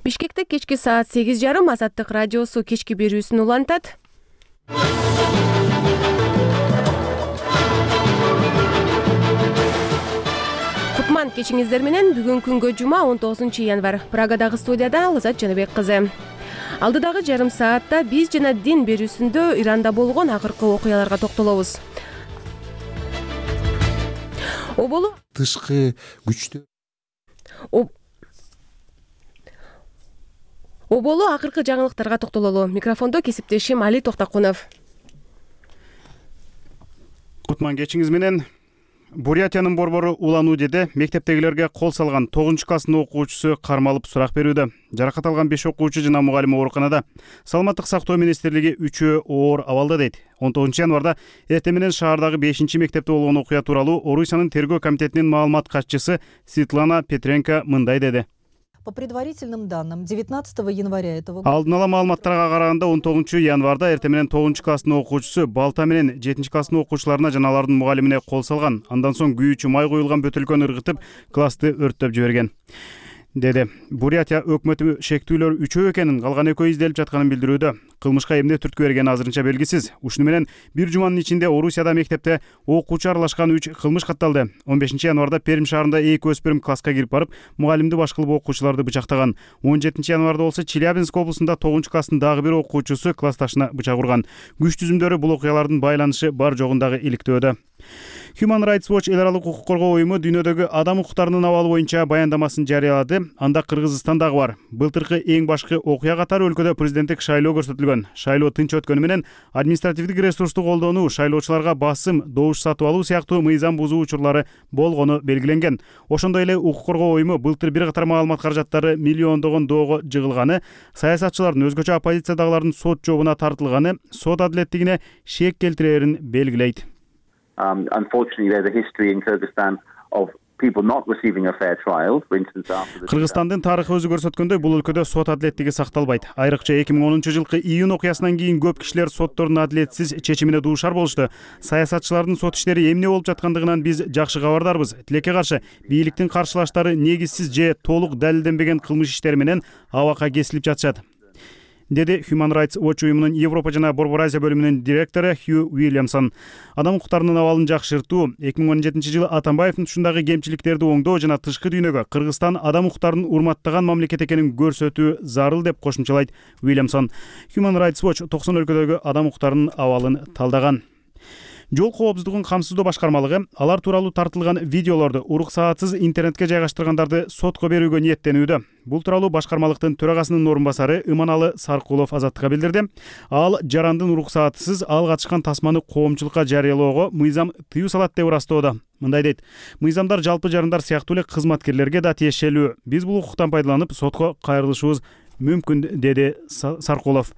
Бишкекте кечки саат 8:30 Азаттык радиосу кечки берүүсүн улантат. Кутман кечиңиздер менен бүгүн күнгө жума 19-январ. Прагадагы студияда Алса Чыныбек кызы. Алдыдагы жарым саатта биз жана дин берүүсүндө Иранда болгон акыркы окуяларга токтолобуз. Оболу тышкы күчтөр Оболу акыркы жаңылыктарга токтололу. Микрофондо кесиптешим Али Токтокунов. Кутман кечиңиз менен. Бурятиянын борбору Улан-Удеде мектептегилерге кол салган 9-класстын окуучусу кармалып сурак берүүдө. Жаракат алган 5 окуучу жана мугалим ооруканада. Саламаттык сактоо министрлиги 3-өө оор абалда дейт. 19-январда эртең менен шаардагы 5-мектепте болгон окуя тууралуу Орусиянын тергөө комитетинин маалымат катчысы Светлана Петренко мындай деди. По предварительным данным, 19 января этого года... Алдын ала маалыматтарга караганда 19-январда эртең менен 9-класстын окуучусу балта менен 7-класстын окуучуларына жана алардын мугалимине кол салган. Андан соң күйүүчү май коюлган бөтөлкөнү ыргытып, классты өрттөп жиберген, деди. Бурятия өкмөтү шектүүлөр 3 экенин, калган 2 изделип жатканын билдирүүдө. Кылмышка эмне түрткү берген азырынча белгисиз. Ушуну менен бир жуманын ичинде Орусияда мектепте окуучу аралашкан 3 кылмыш катталды. 15-январда Пермь шаарында 2 өспүрүм класска кирип барып, мугалимди баш кылып окуучуларды бычактаган. 17-январда болсо Челябинск облусунда 9-класстын дагы бир окуучусу классташына бычак урган. Күч түзүмдөрү бул окуялардын байланышы бар жогундагы иликтөөдө. Human Rights Watch эл аралык укук коргоо уюму дүйнөдөгү адам укуктарынын абалы боюнча баяндамасын жарыялады. Анда Кыргызстан дагы бар. Былтыркы эң башкы окуя катары өлкөдө президенттик шайлоо көрсөтүлгөн. Шайлоо тынч өткөнү менен административдик ресурсту колдонуу, шайлоочуларга басым, добуш сатып алуу сыяктуу мыйзам бузуу учурлары болгону белгиленген. Ошондой эле укук коргоо уюму былтыр бир катар маалымат каражаттары миллиондогон доого жыгылганы, саясатчылардын, өзгөчө оппозициядагылардын сот жообуна тартылганы, сот адилеттигине шек келтирерин белгилейт. Unfortunately, there's a history in Kyrgyzstan of people not receiving a fair trial. For instance, Кыргызстандын тарыхы өзү көрсөткөндөй, бул өлкөдө сот адилеттиги сакталбайт. Айрыкча 2010-жылкы июнь окуясынан кийин көп кишилер соттордун адилетсиз чечимине дуушар болушту. Саясатчылардын сот иштери эмне болуп жаткандыгынан биз жакшы кабардарбыз. Тилекке каршы бийликтин каршылаштары негизсиз же толук далилденбеген кылмыш иштери менен абакка кесилип жатышат, деди Human Rights Watch уюмунун Европа жана Борбор Азия бөлүмүнүн директору Хью Уильямсон. Адам укуктарынын абалын жакшыртуу, 2017-жылы Атамбаевдин ушундагы кемчиликтерди оңдоо жана тышкы дүйнөгө Кыргызстан адам укуктарын урматтаган мамлекет экенин көрсөтүү зарыл деп кошумчалайт Уильямсон. Human Rights Watch 90 өлкөдөгү адам укуктарынын абалын талдаган. Жол коопсуздугун камсыздоо башкармалыгы алар тууралуу тартылган видеолорду уруксаатсыз интернетке жайгаштыргандарды сотко берүүгө ниеттенүүдө. Бул тууралуу башкармалыктын төрагасынын орун басары Иманалы Саркулов Азаттыкка билдирди. Ал жарандын уруксаатсыз ал катышкан тасманы коомчулукка жарыялоого мыйзам тыюу салат деп ырастоодо. Мындай дейт: мыйзамдар жалпы жарандар сыяктуу эле кызматкерлерге да тиешелүү. Биз бул укуктан пайдаланып сотко кайрылышыбыз мүмкүн, деди Саркулов.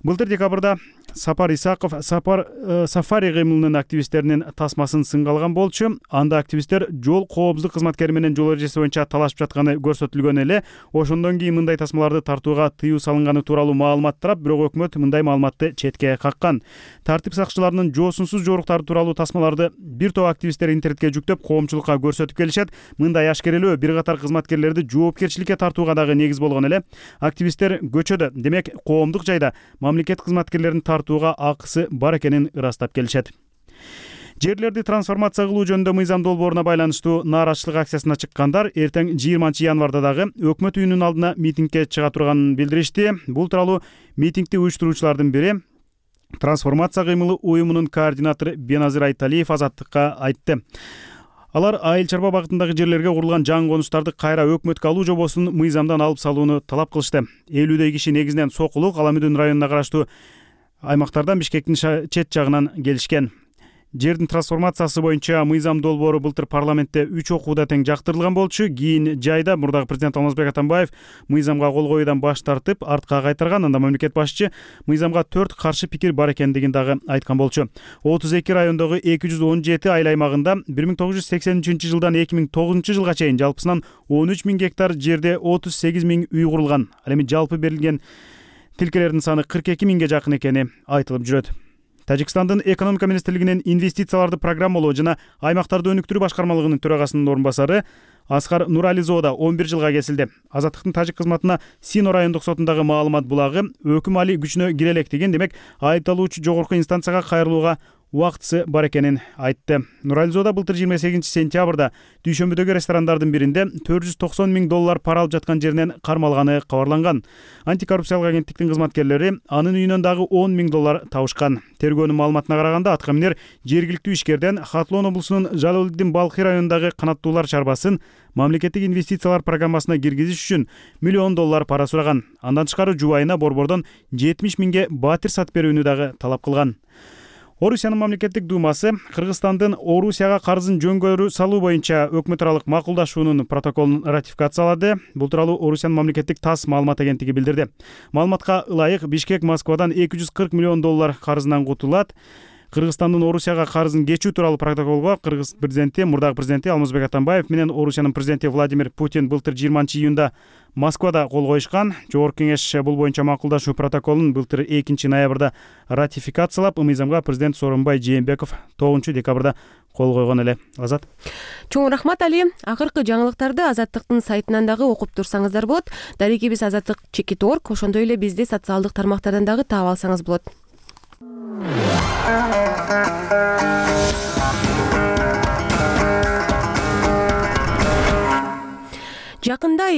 Былтыр декабрда Сапар Исаков сафари кыймылынын активисттеринин тасмасын сынга алган болчу. Анда активисттер жол коопсуздук кызматкери менен жол эрежеси боюнча талашып жатканы көрсөтүлгөн эле. Ошондон кийин мындай тасмаларды тартууга тыюу салынганы тууралуу маалымат тарап, бирок өкмөт мындай маалыматты четке каккан. Тартип сакчыларынын жоосунсуз жоруктары тууралуу тасмаларды бир топ активисттер интернетке жүктөп коомчулукка көрсөтүп келишет. Мындай ашкерелөө бир катар кызматкерлерди жоопкерчиликке тартууга дагы негиз болгон эле. Активисттер көчөдө, демек коомдук жайда мамлекет кызматкерлерин тартууга акысы бар экенин ырастап келишет. Жерлерди трансформация кылуу жөнүндө мыйзам долбооруна байланыштуу нааразычылык акциясына чыккандар эртең 20-январда дагы өкмөт үйүнүн алдына митингге чыга турганын билдиришти. Бул тууралуу митингди уюштуруучулардын бири трансформация кыймылы уюмунун координатору Беназир Айталиев Азаттыкка айтты. Алар айыл чарба багытындагы жерлерге курулган жаңы конуштарды кайра өкмөткө алуу жобосун мыйзамдан алып салууну талап кылышты. 50дөй киши негизинен Сокулук, Аламүдүн районуна караштуу аймактардан Бишкектин чет жагынан келишкен. Жердин трансформациясы боюнча мыйзам долбоору былтыр парламентте 3 окууда тең жактырылган болчу. Кийин жайда мурдагы президент Алмазбек Атамбаев мыйзамга кол коюудан баш тартып, артка кайтарган. Анда мамлекет башчы мыйзамга 4 каршы пикир бар экендигин дагы айткан болчу. 32 райондогу 217 айыл аймагында 1983 жылдан 2009 жылга чейин жалпысынан 13 000 гектар жерде 38 000 үй курулган. Ал эми жалпы берилген тилкелердин саны 42 000ге жакын экени айтылып жүрөт. Тажикстандын экономика министрлигинин инвестицияларды программалоо жана аймактарды өнүктүрүү башкармалыгынын төрагасынын орун басары Аскар Нурализоода 11 жылга кесилди. Азаттыктын тажик кызматына Сино райондук сотундагы маалымат булагы өкүм али күчүнө кире электигин, демек айыпталуучу жогорку инстанцияга кайрылууга убактысы бар экенин айтты. Нурализоода былтыр 28 сентябрда дүйшөмбүдөгү ресторандардын биринде $490 000 пара алып жаткан жеринен кармалганы кабарланган. Антикоррупциялык агенттиктин кызматкерлери анын үйүнөн дагы $10 000 табышкан. Тергөөнүн маалыматына караганда аткы эмнер жергиликтүү ишкерден Хатлон облусунун Жалалдин Балхи районундагы канаттуулар чарбасын мамлекеттик инвестициялар программасына киргизиш үчүн $1 пара сураган. Андан тышкары жубайына борбордон 70 000ге батир сатып берүүнү дагы талап кылган. Орусиянын мамлекеттик думасы Кыргызстандын Орусияга карызын жөнгөрүү салуу боюнча өкмөт аралык макулдашуунун протоколун ратификациялады. Бул тууралуу Орусиянын мамлекеттик ТАСС маалымат агенттиги билдирди. Маалыматка ылайык Бишкек Москвадан $240 миллион карызынан кутулат. Кыргызстандын Орусияга карызын кечүү тууралуу протоколго Кыргыз президенти, мурдагы президенти Алмазбек Атамбаев менен Орусиянын президенти Владимир Путин былтыр 20-июнда Москвада кол коюшкан. Жогорку кеңеш бул боюнча макулдашуу протоколун былтыр 2 ноябрда ратификациялап, мыйзамга президент Сооронбай Жээнбеков 9 декабрда кол койгон эле. Азат. Чоң рахмат Али. Акыркы жаңылыктарды Азаттыктын сайтынан дагы окуп турсаңыздар болот. Дарегибиз azattik.org, ошондой эле бизди социалдык тармактардан дагы таап алсаңыз болот. Жакында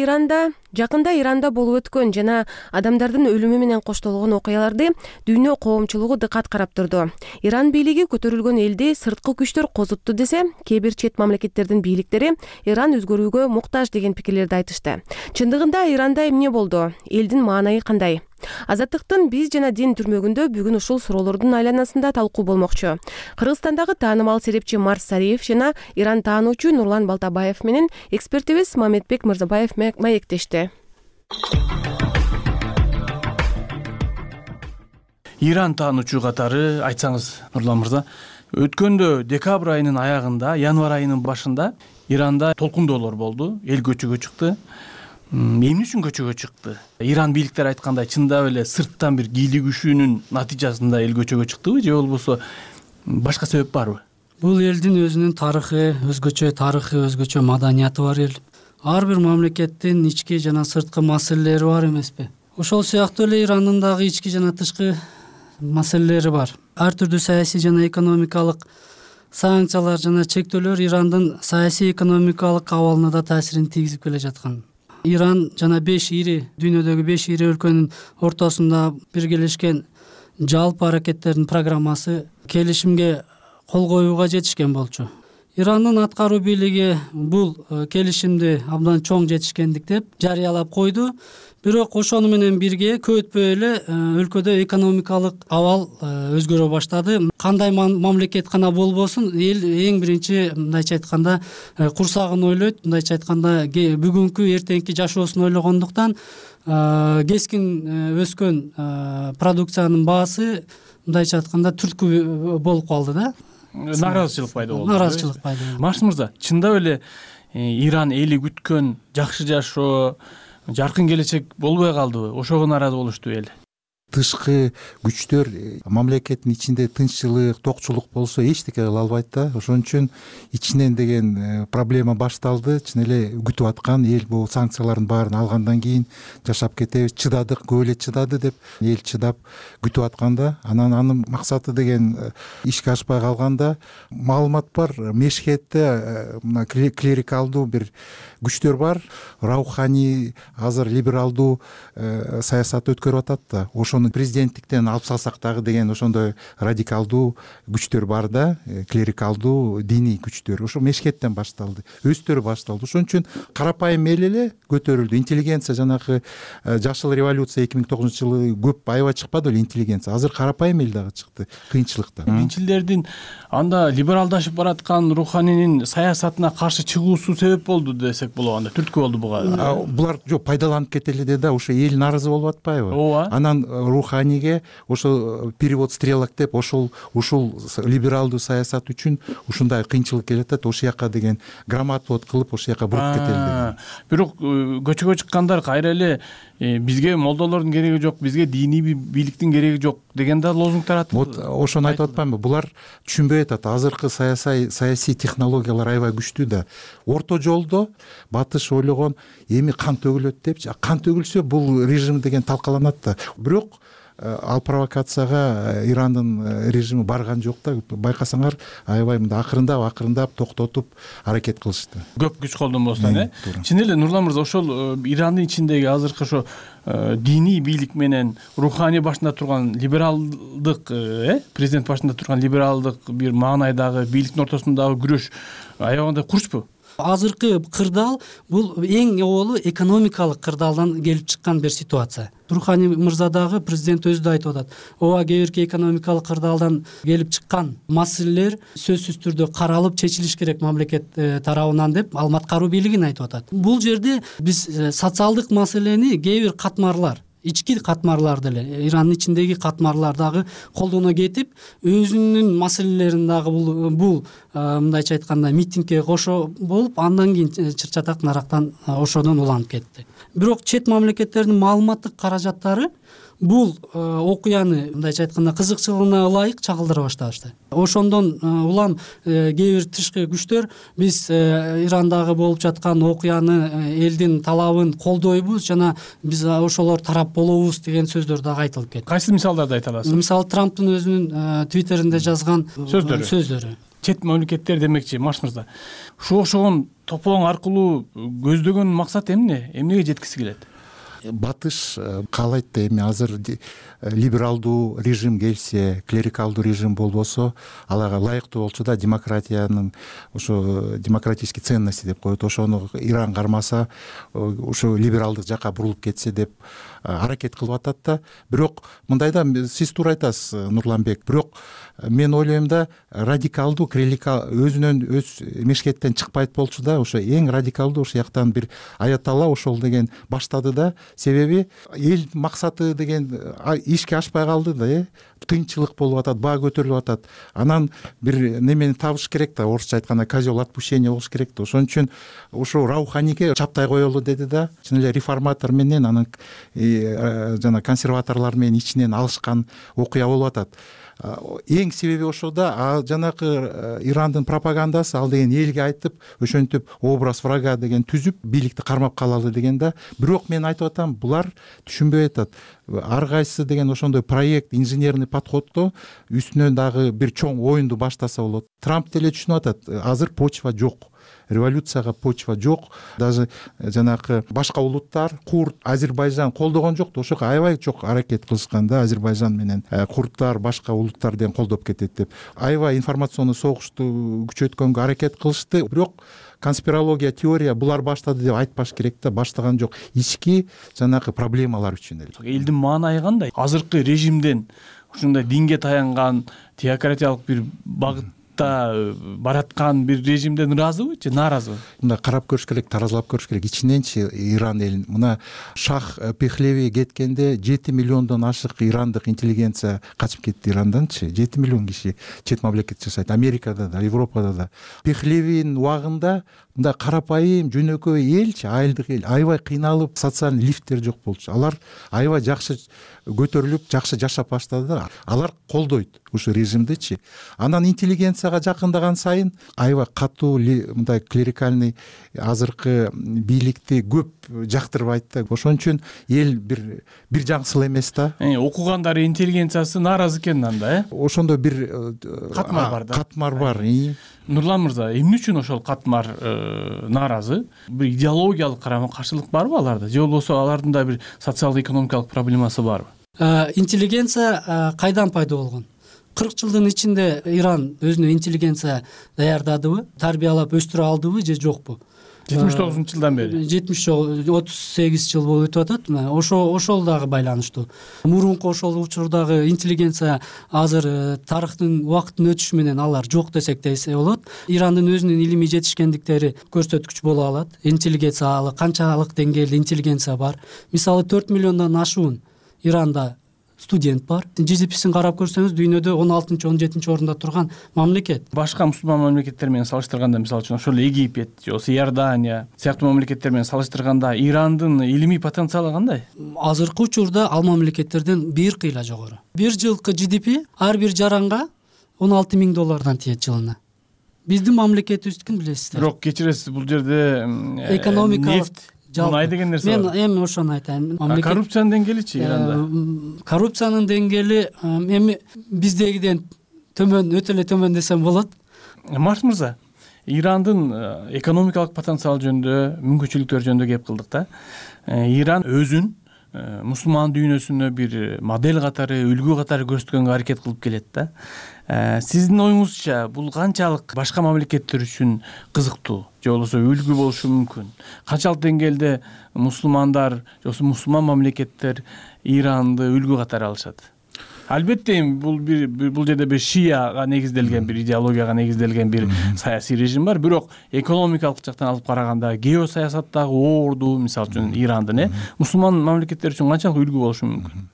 Иранда болуп өткөн жана адамдардын өлүмү менен коштолгон окуяларды дүйнө коомчулугу дыкат карап турду. Иран бийлиги көтөрүлгөн элди сырткы күчтөр козутту десе, кээ бир чет мамлекеттердин бийликтери Иран өзгөрүүгө муктаж деген пикирлерди айтышты. Чындыгында Иранда эмне болду? Элдин маанайы кандай? Азаттыктын биз жана дин түрмөгүндө бүгүн ушул суроолордун айланасында талкуу болмокчу. Кыргызстандагы таанымал серепчи Марс Сариев жана Иран таануучу Нурлан Балтабаев менен экспертибиз Мамедбек Мырзабаев маектешти. Иран таануучу катары айтсаңыз, Нурлан мырза, өткөндө декабрь айынын аягында, январь айынын башында Иранда толкундоолор болду, эл көчөгө чыкты. Эмне үчүн көчөгө чыкты? Иран бийликтери айткандай, чындап эле сырттан бир кийлигишүүнүн натыйжасында эл көчөгө чыктыбы, же болбосо башка себеп барбы? Бул элдин өзүнүн тарыхы, өзгөчө маданияты бар эл. Ар бир мамлекеттин ички жана сырткы маселелери бар эмеспи? Ошол сыяктуу эле Ирандын дагы ички жана тышкы маселелери бар. Ар түрдүү саясий жана экономикалык санкциялар жана чектөөлөр Ирандын саясий экономикалык абалына да таасирин тийгизип келе жаткан. Иран жана дүйнөдөгү 5 ири өлкөнүн ортосунда биргелешкен жалпы аракеттердин программасы келишимге кол коюуга жетишкен болчу. Ирандын аткаруу бийлиги бул келишимди абдан чоң жетишкендик деп жарыялап койду. Бирок ошону менен бирге көтпөй эле өлкөдө экономикалык абал өзгөрө баштады. Кандай мамлекет гана болбосун, эл эң биринчи мындайча айтканда курсагын ойлойт, мындайча айтканда бүгүнкү эртеңки жашоосун ойлогондуктан кескин өскөн продукциянын баасы мындайча айтканда түрткү болуп калды да. Нааразычылык пайда болду. Марс мырза, чындап эле Иран эли күткөн жакшы жашоо, жаркын келечек болбой калдыбы? Ошого нааразы болушту эл. Тышкы күчтөр мамлекеттин ичинде тынччылык, токчулук болсо эчтеке кыла албайт да. Ошон үчүн ичинен деген проблема башталды. Чын эле күтүп аткан эл бул санкциялардын баарын алгандан кийин жашап кетебиз, чыдадык, көп эле чыдады деп эл чыдап күтүп атканда, анын максаты деген ишке ашпай калганда, маалымат бар, Мешхетте мына клерикалдуу бир күчтөр бар, рауханий азыр либералдуу саясат өткөрүп атат да. Ошону президенттиктен алып салсак дагы деген ошондой радикалдуу күчтөр бар да, клерикалдуу диний күчтөр. Ошо мешкеттен башталды, өздөрү башталды. Ошон үчүн карапайым эл эле көтөрүлдү. Интеллигенция жанагы жашыл революция 2009-жылы көп аябай чыкпады беле интеллигенция. Азыр карапайым эл дагы чыкты кыйынчылыкта. Динчилердин анда либералдашып бараткан Руханинин саясатына каршы чыгуусу себеп болду десек болот, анда түрткү болду буга. Булар жок пайдаланып кетели да, ошо эл нааразы болуп атпайбы? Ооба. Анан Руханиге ошо перевод стрелок деп ушул либералдуу саясат үчүн ушундай кыйынчылык келет атат, ошол жака деген грамотвод кылып ошол жака буруп кетели деген. Бирок көчөгө чыккандар кайра эле бизге молдолордун кереги жок, бизге диний бийликтин кереги жок деген да лозунгтар атып. Вот ошону айтып атпаймынбы? Булар түшүнбөй атат. Азыркы саясий технологиялар аябай күчтүү да. Орто жолдо батыш ойлогон эми кан төгүлөт депчи. Кан төгүлсө бул режим деген талкаланат да. Бирок ал провокацияга Ирандын режими барган жок да. Байкасаңар аябай мындай акырындап токтотуп аракет кылышты. Көп күч колдонбостон, Чын эле Нурлан мырза, ошол Ирандын ичиндеги азыркы ошо диний бийлик менен Рухани башында турган либералдык, президент башында турган либералдык бир маанайдагы бийликтин ортосундагы күрөш аябагандай курчпу? Азыркы кырдаал бул эң оболу экономикалык кырдаалдан келип чыккан бир ситуация. Рухани мырза дагы президент өзү да айтып атат. Ооба, кээ бирки экономикалык кырдаалдан келип чыккан маселелер сөзсүз түрдө каралып чечилиш керек мамлекет тарабынан деп Алмат каруу бийлигин айтып атат. Бул жерде биз социалдык маселени кээ бир катмарлар, ички катмарлар деле, Ирандын ичиндеги катмарлар дагы колдоно кетип, өзүнүн маселелерин дагы бул мындайча айтканда митингге кошо болуп, андан кийин чыр-чатак нарактан ошодон уланып кетти. Бирок чет мамлекеттердин маалыматтык каражаттары бул окуяны мындайча айтканда кызыкчылыгына ылайык чагылдыра башташты. Ошондон улам кээ бир тышкы күчтөр биз Ирандагы болуп жаткан окуяны, элдин талабын колдойбуз жана биз ошолор тарап болобуз деген сөздөр дагы айтылып кетти. Кайсы мисалдарды айта аласыз? Мисалы Трамптын өзүнүн твиттеринде жазган сөздөрү. Чет мамлекеттер демекчи, Маш мырза. Ушуга окшогон тополоң аркылуу көздөгөн максат эмне? Эмнеге жеткиси келет? Батыш каалайт да эми азыр либералдуу режим келсе, клерикалдуу режим болбосо, аларга ылайыктуу болчу да демократиянын ошо демократический ценности деп коет. Ошону Иран кармаса, ошо либералдык жака бурулуп кетсе деп аракет кылып атат да. Бирок мындай да, сиз туура айтасыз, Нурланбек. Бирок мен ойлойм да, радикалдуу өзүнөн өз мешкеттен чыкпайт болчу да. Ошо эң радикалдуу ошол жактан бир аяталла ошол деген баштады да. Себеби эл максаты деген ишке ашпай калды да, кыйынчылык болуп атат, баа көтөрүлүп атат. Анан бир немени табыш керек да, орусча айтканда козел отпущения болуш керек да. Ошон үчүн ошо Рауханиге чаптай коелу деди да. Чын эле реформатор менен анан жана консерваторлор менен ичинен алышкан окуя болуп атат. Эң себеби ошо да, жанакы Ирандын пропагандасы ал деген элге айтып, ошентип образ врага деген түзүп, бийликти кармап калалы деген да. Бирок мен айтып атам, булар түшүнбөй атат. Ар кайсы деген ошондой проект, инженерный подходдо үстүнөн дагы бир чоң оюнду баштаса болот. Трамп деле түшүнүп атат, азыр почва жок. Революцияга почва жок. Даже жанакы башка улуттар, курд, Азербайжан колдогон жок да, ошого аябай чок аракет кылышкан да, Азербайжан менен курдтар башка улуттар деген колдоп кетет деп. Аябай информационный согушту күчөткөнгө аракет кылышты. Бирок конспирология, теория булар баштады деп айтпаш керек да, баштаган жок. Ички жанакы проблемалар үчүн эле. Элдин маанайы кандай? Азыркы режимден ушундай динге таянган теократиялык бир багытта бараткан бир режимден ыраазыбы же нааразыбы? Мына карап көрүш керек, таразалап көрүш керек. Ичиненчи Иран элин, мына Шах Пехлеви кеткенде 7 миллиондон ашык ирандык интеллигенция качып кетти Иранданчы. 7 миллион киши чет мамлекетте жашайт, Америкада да, Европада да. Пехлевинин убагында мында карапайым жөнөкөй элчи, айылдык эл аябай кыйналып, социалдык лифттер жок болчу. Алар аябай жакшы көтөрүлүп, жакшы жашап баштады да. Алар колдойт ушу режимдичи. Анан интеллигенция коррупцияга жакындаган сайын аябай катуу мындай клерикальный азыркы бийликти көп жактырбайт да. Ошон үчүн эл бир жаңсыл эмес да. Окугандар интеллигенциясы нааразы экен анда, Ошондо бир катмар бар да. Катмар бар. Нурлан мырза, эмне үчүн ошол катмар нааразы? Бир идеологиялык карама-каршылык барбы аларда? Же болбосо алардын да бир социалдык-экономикалык проблемасы барбы? Интеллигенция кайдан пайда болгон? 40 жылдын ичинде Иран өзүнө интеллигенция даярдадыбы, тарбиялап өстүрө алдыбы же жокпу? 79-жылдан бери. 38 жыл болуп өтүп атат. Ошол дагы байланыштуу. Мурунку ошол учурдагы интеллигенция азыр тарыхтын убакыттын өтүшү менен алар жок десек десе болот. Ирандын өзүнүн илимий жетишкендиктери көрсөткүч боло алат. Интеллигенция канчалык деңгээлде интеллигенция бар. Мисалы 4 миллиондон ашуун Иранда студент бар. GDP-син карап көрсөңүз дүйнөдө 16-17 орунда турган мамлекет. Башка мусулман мамлекеттер менен салыштырганда, мисалы үчүн ошол Египет же болбосо Иордания сыяктуу мамлекеттер менен салыштырганда Ирандын илимий потенциалы кандай? Азыркы учурда ал мамлекеттерден бир кыйла жогору. Бир жылкы GDP ар бир жаранга $16,000 тиет жылына. Биздин мамлекетибиздикин билесиздер. Бирок кечиресиз, бул жерде экономикалык мунай деген нерсе бар. Мен эми ошону айтайын. Коррупциянын деңгээличи Иранда? Коррупциянын деңгээли эми биздегиден төмөн, өтө эле төмөн десем болот. Марс мырза, Ирандын экономикалык потенциалы жөнүндө, мүмкүнчүлүктөр жөнүндө кеп кылдык да. Иран өзүн мусулман дүйнөсүнө бир модель катары, үлгү катары көрсөткөнгө аракет кылып келет да. Сиздин оюңузча бул канчалык башка мамлекеттер үчүн кызыктуу же болбосо үлгү болушу мүмкүн? Канчалык деңгээлде мусулмандар же болбосо мусулман мамлекеттер Иранды үлгү катары алышат? Албетте бул жерде бир шияга негизделген, бир идеологияга негизделген бир саясий режим бар, бирок экономикалык жактан алып караганда геосаясаттагы оорду, мисалы үчүн Ирандын мусулман мамлекеттер үчүн канчалык үлгү болушу мүмкүн?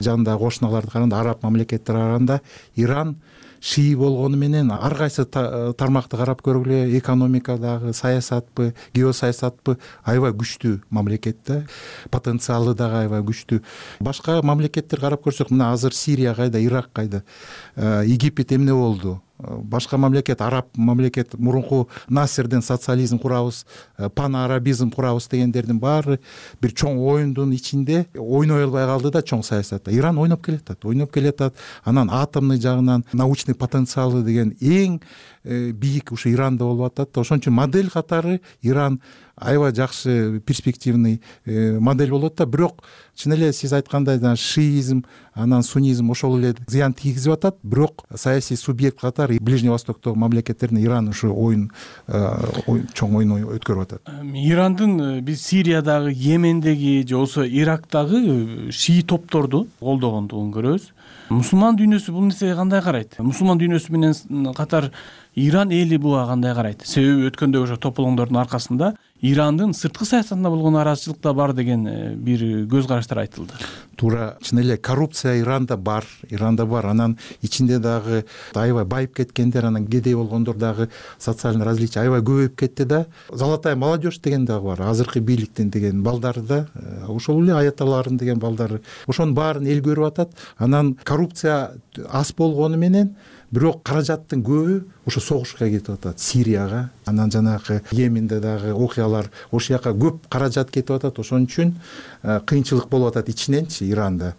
Жандагы кошуналарды караганда, араб мамлекеттерге караганда Иран шии болгону менен ар кайсы тармакты карап көргүлө, экономикадагы, саясатпы, геосаясатпы аябай күчтүү мамлекет да. Потенциалы дагы аябай күчтүү. Башка мамлекеттер карап көрсөк, мына азыр Сирия кайда, Ирак кайда, Египет эмне болду? Башка мамлекет, араб мамлекет, мурунку Насерден социализм курабыз, панарабизм курабыз дегендердин баары бир чоң оюндун ичинде ойной албай калды да чоң саясатта. Иран ойноп келатат. Анан атомный жагынан научный потенциалы деген эң бийик ушу Иранда болуп атат. Ошон үчүн модель катары Иран аябай жакшы перспективный модель болот да. Бирок чын эле сиз айткандай шиизм, анан суннизм ошол эле зыян тийгизип атат. Бирок саясий субъект катары Ближний Востоктогу мамлекеттердин Иран ушу чоң оюн өткөрүп атат. Ирандын биз Сириядагы, Йемендеги же болбосо Ирактагы шии топторду колдогондугун көрөбүз. Мусулман дүйнөсү бул нерсеге кандай карайт? Мусулман дүйнөсү менен катар Иран эли буга кандай карайт? Себеби өткөндө ошо тополоңдордун аркасында Ирандын сырткы саясатына болгон нараазычылык да бар деген бир көз караштар айтылды. Туура, чын эле коррупция Иранда бар. Анан ичинде дагы аябай байып кеткендер, анан кедей болгондор дагы социальный различие аябай көбөйүп кетти да. Золотая молодежь деген дагы бар. Азыркы бийликтин деген балдары да, ошол эле аяталарын деген балдары. Ошонун баарын эл көрүп атат. Анан коррупция аз болгону менен бирок каражаттын көбү ошо согушка кетип атат, Сирияга, анан жанагы Йеменде дагы окуялар, ошол жака көп каражат кетип атат. Ошон үчүн кыйынчылык болуп атат ичиненчи Иранда.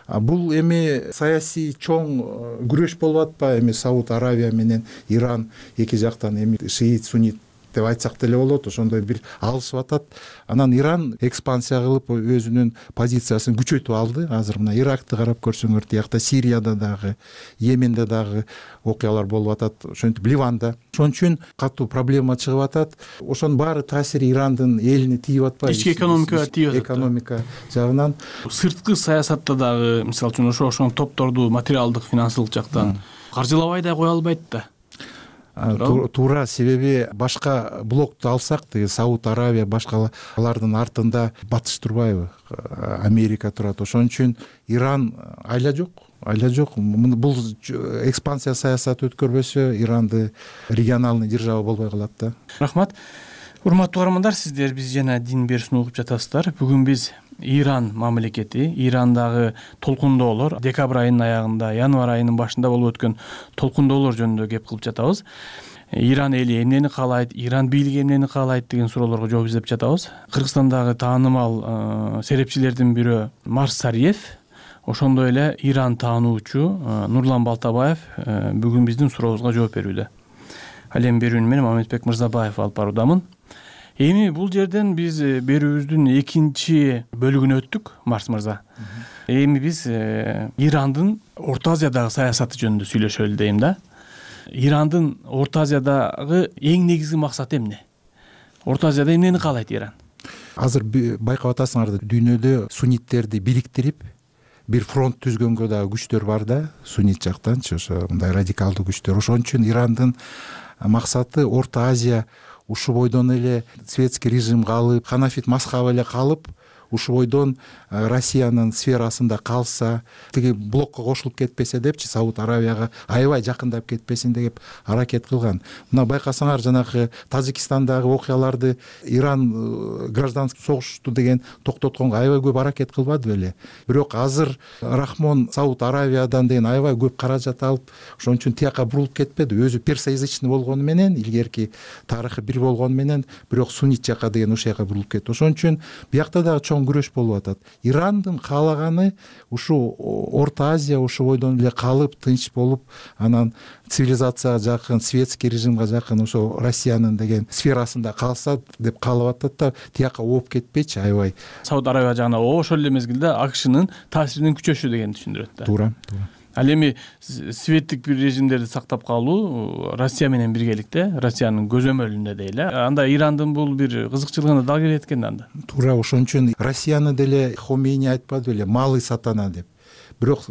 Бул эми саясий чоң күрөш болуп атпайбы? Эми Сауд Аравия менен Иран эки жактан эми шиит, суннит деп айтсак деле болот, ошондой бир алышып атат. Анан Иран экспансия кылып өзүнүн позициясын күчөйтүп алды. Азыр мына Иракты карап көрсөңөр, тиякта Сирияда дагы, Йеменде дагы окуялар болуп атат, ошентип Ливанда. Ошон үчүн катуу проблема чыгып атат. Ошонун баары таасири Ирандын элине тийип атпайбы? Ички экономикага тийип атат. Экономика жагынан. Сырткы саясатта дагы, мисалы үчүн ошол тордуу материалдык, финансылык жактан каржылабай да кое албайт да. Туура, себеби башка блокту алсак, Сауд Аравия, башкалардын артында Батыш турбайбы? Америка турат. Ошон үчүн Иран айла жок. Бул экспансия саясаты өткөрбөсө Иранды региональный держава болбой калат да. Рахмат. Урматтуу каармандар, сиздер биз жана Дин берүүсүн угуп жатасыздар. Бүгүн биз Иран мамлекети, Ирандагы толкундоолор, декабрь айынын аягында, январь айынын башында болуп өткөн толкундоолор жөнүндө кеп кылып жатабыз. Иран эли эмнени каалайт, Иран бийлиги эмнени каалайт деген суроолорго жооп издеп жатабыз. Кыргызстандагы таанымал серепчилердин бирөө Марс Сариев, ошондой эле Иран таануучу Нурлан Балтабаев бүгүн биздин сурообузга жооп берүүдө. Ал эми берүүнү мен Мамедбек Мырзабаев алып баруудамын. Эми бул жерден биз берүүбүздүн экинчи бөлүгүнө өттүк, Марс мырза. Эми биз Ирандын Орто Азиядагы саясаты жөнүндө сүйлөшөлү дейм да. Ирандын Орто Азиядагы эң негизги максаты эмне? Орто Азияда эмнени каалайт Иран? Азыр байкап атасыңар, дүйнөдө сунниттерди бириктирип бир фронт түзгөнгө дагы күчтөр бар да, суннит жактанчы, ошо мындай радикалдуу күчтөр. Ошон үчүн Ирандын максаты Орто Азия ушу бойдон эле светский режим калып, ханафит мазхабы эле калып, ушу бойдон Россиянын сферасында калса, тиги блокко кошулуп кетпесе депчи, Сауд Аравияга аябай жакындап кетпесин деп аракет кылган. Мына байкасаңар, жанагы Тажикстандагы окуяларды Иран гражданский согушту деген токтотконго аябай көп аракет кылбады беле. Бирок азыр Рахмон Сауд Аравиядан деген аябай көп каражат алып, ошон үчүн тияка бурулуп кетпеди. Өзү персоязычный болгону менен, илгерки тарыхы бир болгону менен, бирок суннит жака деген ошол жака бурулуп кетти. Ошон үчүн биякта дагы чоң күрөш болуп атат. Ирандын каалаганы ушу Орто Азия ушу бойдон эле калып, тынч болуп, анан цивилизацияга жакын, светский режимге жакын, ошо Россиянын деген сферасында калса деп каалап атат да, тияка ооп кетпейчи аябай. Сауд Аравия жагына ошол эле мезгилде AQShnын таасиринин күчөшү дегенди түшүндүрөт да. Туура. Ал эми светтик бир режимдерди сактап калуу Россия менен биргеликте, Россиянын көзөмөлүндө дейли. Анда Ирандын бул бир кызыкчылыгына дал келет экен анда. Туура, ошон үчүн Россияны деле Хомейни айтпады беле, малый сатана деп. Бирок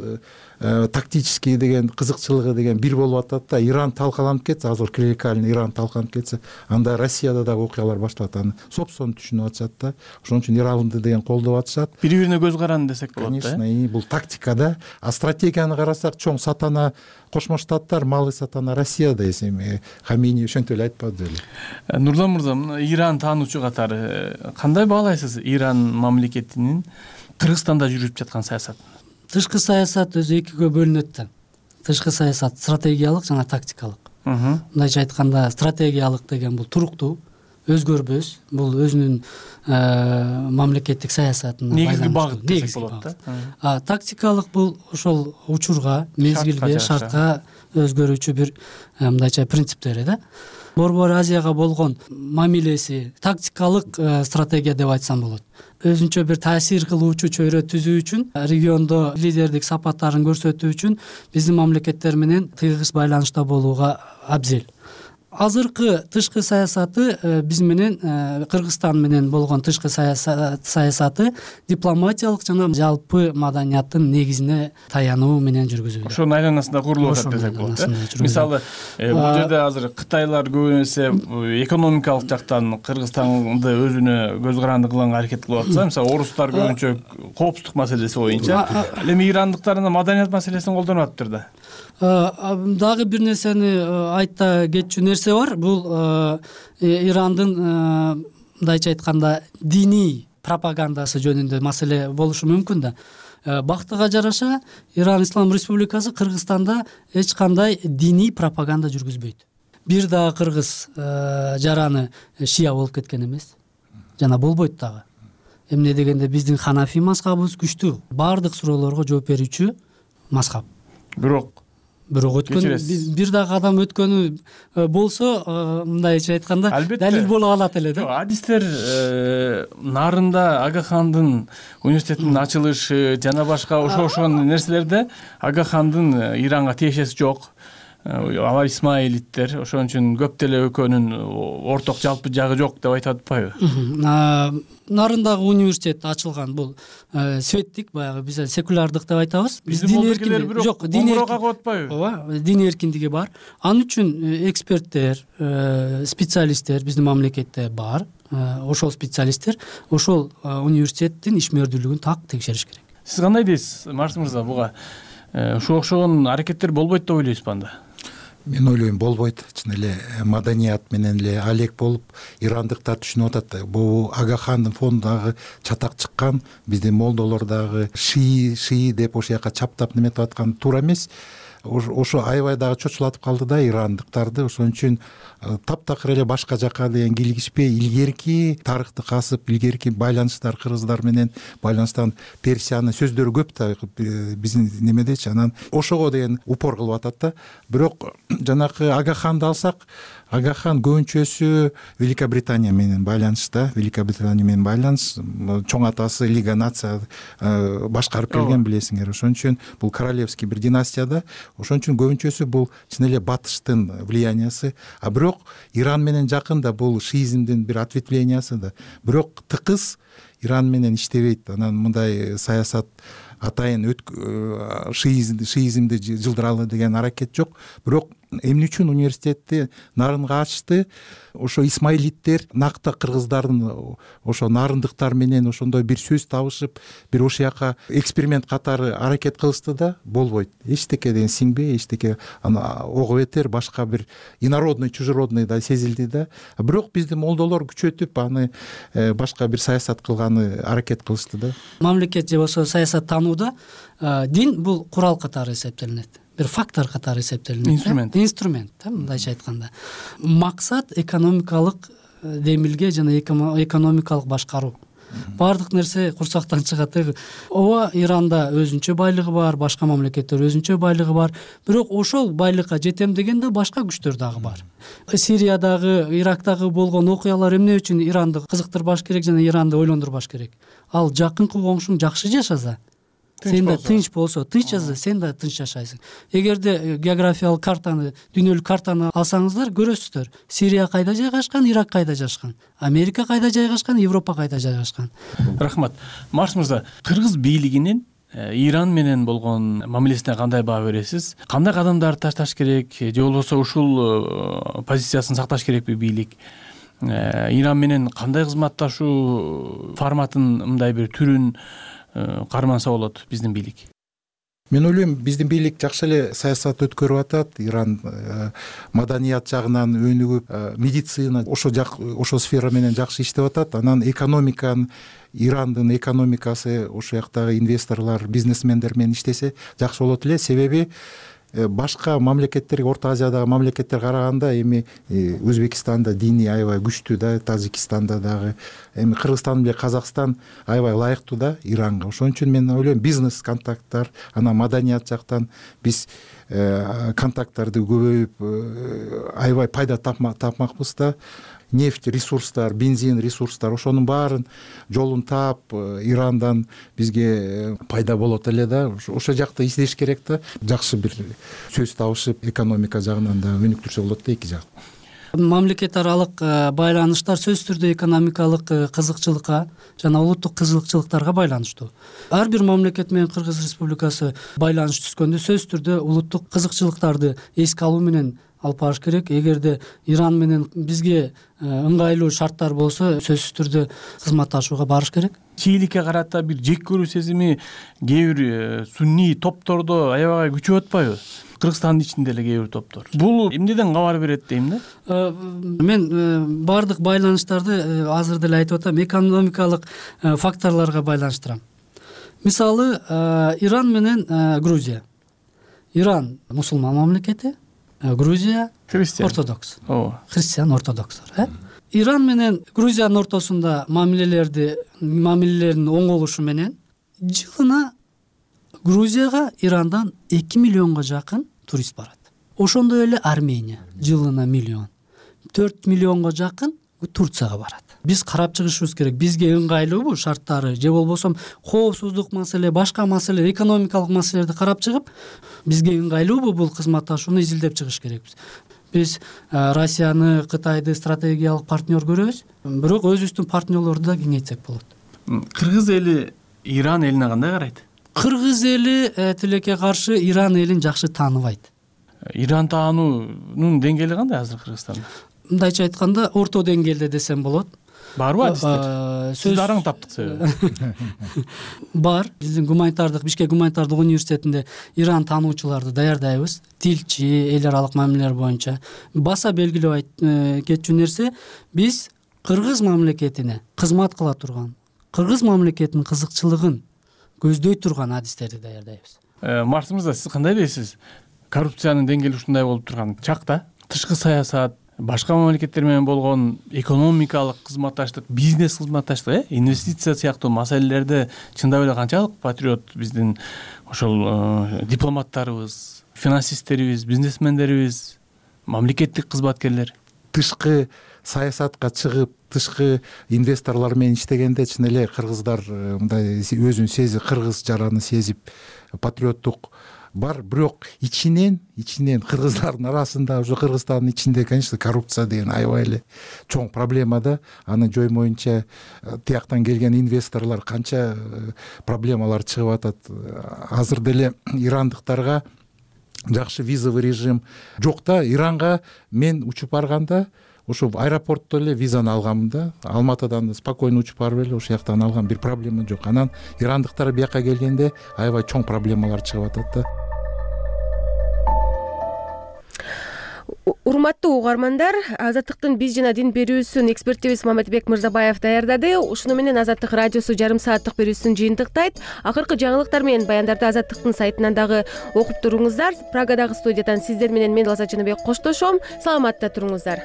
тактический деген кызыкчылыгы деген бир болуп атат да. Иран талкаланып кетсе, азыр клерикальный Иран талкаланып кетсе, анда Россияда дагы окуялар башталат, аны собственно түшүнүп атышат да. Ошон үчүн Иранды деген колдоп атышат. Бири-бирине көз каранды десек болот да. Конечно, бул тактика да. А стратегияны карасак, чоң сатана Кошмо Штаттар, малый сатана Россияда эсеби. Хамини ошентип эле айтпады беле. Нурлан мырза, Иран таануучу катары кандай баалайсыз Иран мамлекетинин Кыргызстанда жүрүп жаткан саясатын? Тышкы саясат өзү экиге бөлүнөт да. Тышкы саясат стратегиялык жана тактикалык. Мындайча айтканда, стратегиялык деген бул туруктуу, өзгөрбөс, бул өзүнүн мамлекеттик саясатына негизги багыт десек болот да. Тактикалык бул ошол учурга, мезгилге, шартка өзгөрүүчү бир мындайча принциптери да. Борбор Азияга болгон мамилеси тактикалык стратегия деп айтсам болот. Өзүнчө бир таасир кылуучу чөйрө түзүү үчүн, региондо лидердик сапаттарын көрсөтүү үчүн биздин мамлекеттер менен тыйгыз байланышта болууга абзел. Азыркы тышкы саясаты биз менен Кыргызстан менен болгон тышкы саясаты дипломатиялык жана жалпы маданияттын негизине таянуу менен жүргүзүлөт. Ошонун айланасында курулуп атат десек болот. Мисалы, бул жерде азыр Кытайлар көбүнесе экономикалык жактан Кыргызстанды өзүнө көз каранды кылганга аракет кылып атса, мисалы орустар көбүнчө коопсуздук маселеси боюнча, ал эми ирандыктар маданият маселесин колдонуп атыптыр да. Дагы бир нерсени айта кетчү нерсе бар. Бул Ирандын мындайча айтканда диний пропагандасы жөнүндө маселе болушу мүмкүн да. Бактыга жараша Иран Ислам Республикасы Кыргызстанда эч кандай диний пропаганда жүргүзбөйт. Бир дагы кыргыз жараны шия болуп кеткен эмес. Жана болбойт дагы. Эмне дегенде биздин ханафи мазхабыбыз күчтүү. Бардык суроолорго жооп берүүчү мазхаб. Бирок өткөн бир дагы адам өткөнү болсо, мындайча айтканда, далил боло калат эле да. Адистер нарында Ага хандын университетинин ачылышы жана башка ошол нерселерде Ага хандын Иранга тиешеси жок. Алар исмаилиттер, ошон үчүн көп деле экөөнүн орток жалпы жагы жок деп айтып атпайбы? Нарындагы университет ачылган бул светтик, баягы биз секулярдык деп айтабыз. Биз дин эркиндиги жок, дин эркиндиги ооба, дин эркиндиги бар. Анын үчүн эксперттер, специалисттер биздин мамлекетте бар. Ошол специалисттер ошол университеттин ишмердүүлүгүн так текшериш керек. Сиз кандай дейсиз, Марс мырза, буга ошого окшогон аракеттер болбойт деп ойлойсузбу анда? мен ойлойм болбойт. Чын эле маданият менен эле алек болуп ирандыктар түшүнүп атат. Бул Агахандын фондундагы чатак чыккан, биздин молдолор дагы шии деп ошол жака чаптап неметип аткан туура эмес. Ошо аябай дагы чочулатып калды да ирандыктарды. Ошон үчүн таптакыр эле башка жака деген килигишпей, илгерки тарыхты касып, илгерки байланыштар кыргыздар менен байланыштан Персиянын сөздөрү көп да биздин немедечи. Анан ошого деген упор кылып атат да. Бирок жанакы Агаханды алсак, Агахан көбүнчөсү Великобритания менен байланышта, Великобритания менен байланыш, чоң атасы Лига Нация башкарып келген, билесиңер. Ошон үчүн бул королевский бир династияда, ошон үчүн көбүнчөсү бул чын эле батыштын влияниясы. А бирок Иран менен жакын да, бул шиизмдин бир ответвлениясы да. Бирок тыкыз Иран менен иштебейт. Анан мындай саясат атайын шиизмди жылдыралы деген аракет жок. Бирок эмне үчүн университетти нарынга ачты? Ошо исмаилиттер накта кыргыздардын ошо нарындыктар менен ошондой бир сөз табышып, бир ошол жака эксперимент катары аракет кылышты да, болбойт. Эчтеке деген сиңбей, эчтеке аны ого бетер башка бир инородный, чужеродный да сезилди да. Бирок биздин молдолор күчөтүп аны башка бир саясат кылганы аракет кылышты да. Мамлекет же болсо саясат таанууда дин бул курал катары эсептелинет. Бир фактор катары эсептелинет. Инструмент, мындайча айтканда. Максат экономикалык демилге жана экономикалык башкаруу. Баардык нерсе курсактан чыгат. Ооба, Иранда өзүнчө байлыгы бар, башка мамлекеттер өзүнчө байлыгы бар. Бирок ошол байлыкка жетем дегенде башка күчтөр дагы бар. Сириядагы, Ирактагы болгон окуялар эмне үчүн Иранды кызыктырбаш керек жана Иранды ойлондурбаш керек? Ал жакынкы коңшуң жакшы жашаса, сен да тынч болсо, тынч жашаса, сен да тынч жашайсың. Эгерде географиялык картаны, дүйнөлүк картаны алсаңыздар, көрөсүздөр. Сирия кайда жайгашкан, Ирак кайда жайгашкан, Америка кайда жайгашкан, Европа кайда жайгашкан. Рахмат. Марс мырза, кыргыз бийлигинин Иран менен болгон мамилесине кандай баа бересиз? Кандай кадамдарды ташташ керек, же болбосо ушул позициясын сакташ керекпи бийлик? Иран менен кандай кызматташуу форматын, мындай бир түрүн карманса болот биздин бийлик? Мен ойлойм, биздин бийлик жакшы эле саясат өткөрүп атат. Иран маданият жагынан өнүгүп, медицина ошо сфера менен жакшы иштеп атат. Анан экономиканы, Ирандын экономикасы, ошол жактагы инвесторлор, бизнесмендер менен иштесе жакшы болот эле. Себеби башка мамлекеттерге, Орто Азиядагы мамлекеттер караганда эми Өзбекстанда дини аябай күчтүү да, Тажикстанда дагы, эми Кыргызстан менен Казакстан аябай ылайыктуу да Иранга. Ошон үчүн мен ойлойм, бизнес контакттар, анан маданият жактан биз контакттарды көбөйүп аябай пайда тапмакпыз да. Нефть ресурстар, бензин ресурстар, ошонун баарын жолун таап Ирандан бизге пайда болот эле да. Ошол жакта издеш керек да. Жакшы бир сөз табышып, экономика жагынан да өнүктүрсө болот да эки жак. Мамлекет аралык байланыштар сөзсүз түрдө экономикалык кызыкчылыкка жана улуттук кызыкчылыктарга байланыштуу. Ар бир мамлекет менен Кыргыз Республикасы байланыш түзгөндө сөзсүз түрдө улуттук кызыкчылыктарды эске алуу менен алып барыш керек. Эгерде Иран менен бизге ыңгайлуу шарттар болсо, сөзсүз түрдө кызматташууга барыш керек. Чийликке карата бир жек көрүү сезими кээ бир сунний топтордо аябай күчөп атпайбы? Кыргызстандын ичинде эле кээ бир топтор. Бул эмнеден кабар берет дейм да? Мен баардык байланыштарды азыр деле айтып атам, экономикалык факторлорго байланыштырам. Мисалы, Иран менен Грузия. Иран мусулман мамлекети, Грузия ортодокс. Христиан ортодокстор. Иран менен Грузиянын ортосунда мамилелердин оңолушу менен жылына Грузияга Ирандан 2 миллионго жакын турист барат. Ошондой эле Армения жылына миллион. 4 миллионго жакын Турцияга барат. Биз карап чыгышыбыз керек. Бизге ыңгайлуубу шарттары, же болбосо коопсуздук маселе, башка маселе, экономикалык маселелерди карап чыгып, бизге ыңгайлуубу бул кызматташууну изилдеп чыгыш керекпиз. Биз Россияны, Кытайды стратегиялык партнер көрөбүз, бирок өзүбүздүн партнерлорду да кеңейтсек болот. Кыргыз эли Иран элине кандай карайт? Кыргыз эли тилекке каршы Иран элин жакшы тааныбайт. Иран таануунун деңгээли кандай азыр Кыргызстанда? Мындайча айтканда, орто деңгээлде десем болот. барбы адистер? Сиз дараң таптык себеби. Бар. Биздин Бишкек гуманитардык университетинде Иран таануучуларды даярдайбыз. Тилчи, эл аралык мамилелер боюнча. Баса белгилеп кетчү нерсе, биз кыргыз мамлекетине кызмат кыла турган, кыргыз мамлекетинин кызыкчылыгын көздөй турган адистерди даярдайбыз. Марс мырза, сиз кандай дейсиз? Коррупциянын деңгээли ушундай болуп турган чакта тышкы саясат, башка мамлекеттер менен болгон экономикалык кызматташтык, бизнес кызматташтык, инвестиция сыяктуу маселелерде чындап эле канчалык патриот биздин ошол дипломаттарыбыз, финансисттерибиз, бизнесмендерибиз, мамлекеттик кызматкерлер тышкы саясатка чыгып, тышкы инвесторлор менен иштегенде чын эле кыргыздар мындай өзүн сезип, кыргыз жараны сезип, патриоттук бар. Бирок ичинен кыргыздардын арасында, уже Кыргызстандын ичинде, конечно, коррупция деген аябай эле чоң проблема да. Аны жоймоюнча тияктан келген инвесторлор канча проблемалар чыгып атат. Азыр деле ирандыктарга жакшы визовый режим жок да. Иранга мен учуп барганда ошо аэропортто эле визаны алганмын да. Алматыдан спокойно учуп барып эле ошол жактан алгам, бир проблема жок. Анан ирандыктар бияка келгенде аябай чоң проблемалар чыгып атат да. Урматтуу угармандар, Азаттыктын биз жана дин берүүсүн экспертибиз Маматбек Мырзабаев даярдады. Ушуну менен Азаттык радиосу жарым сааттык берүүсүн жыйынтыктайт. Акыркы жаңылыктар менен баяндарды Азаттыктын сайтынан дагы окуп туруңуздар. Прагадагы студиядан сиздер менен мен Алса Жаныбек коштошом. Саламатта туруңуздар.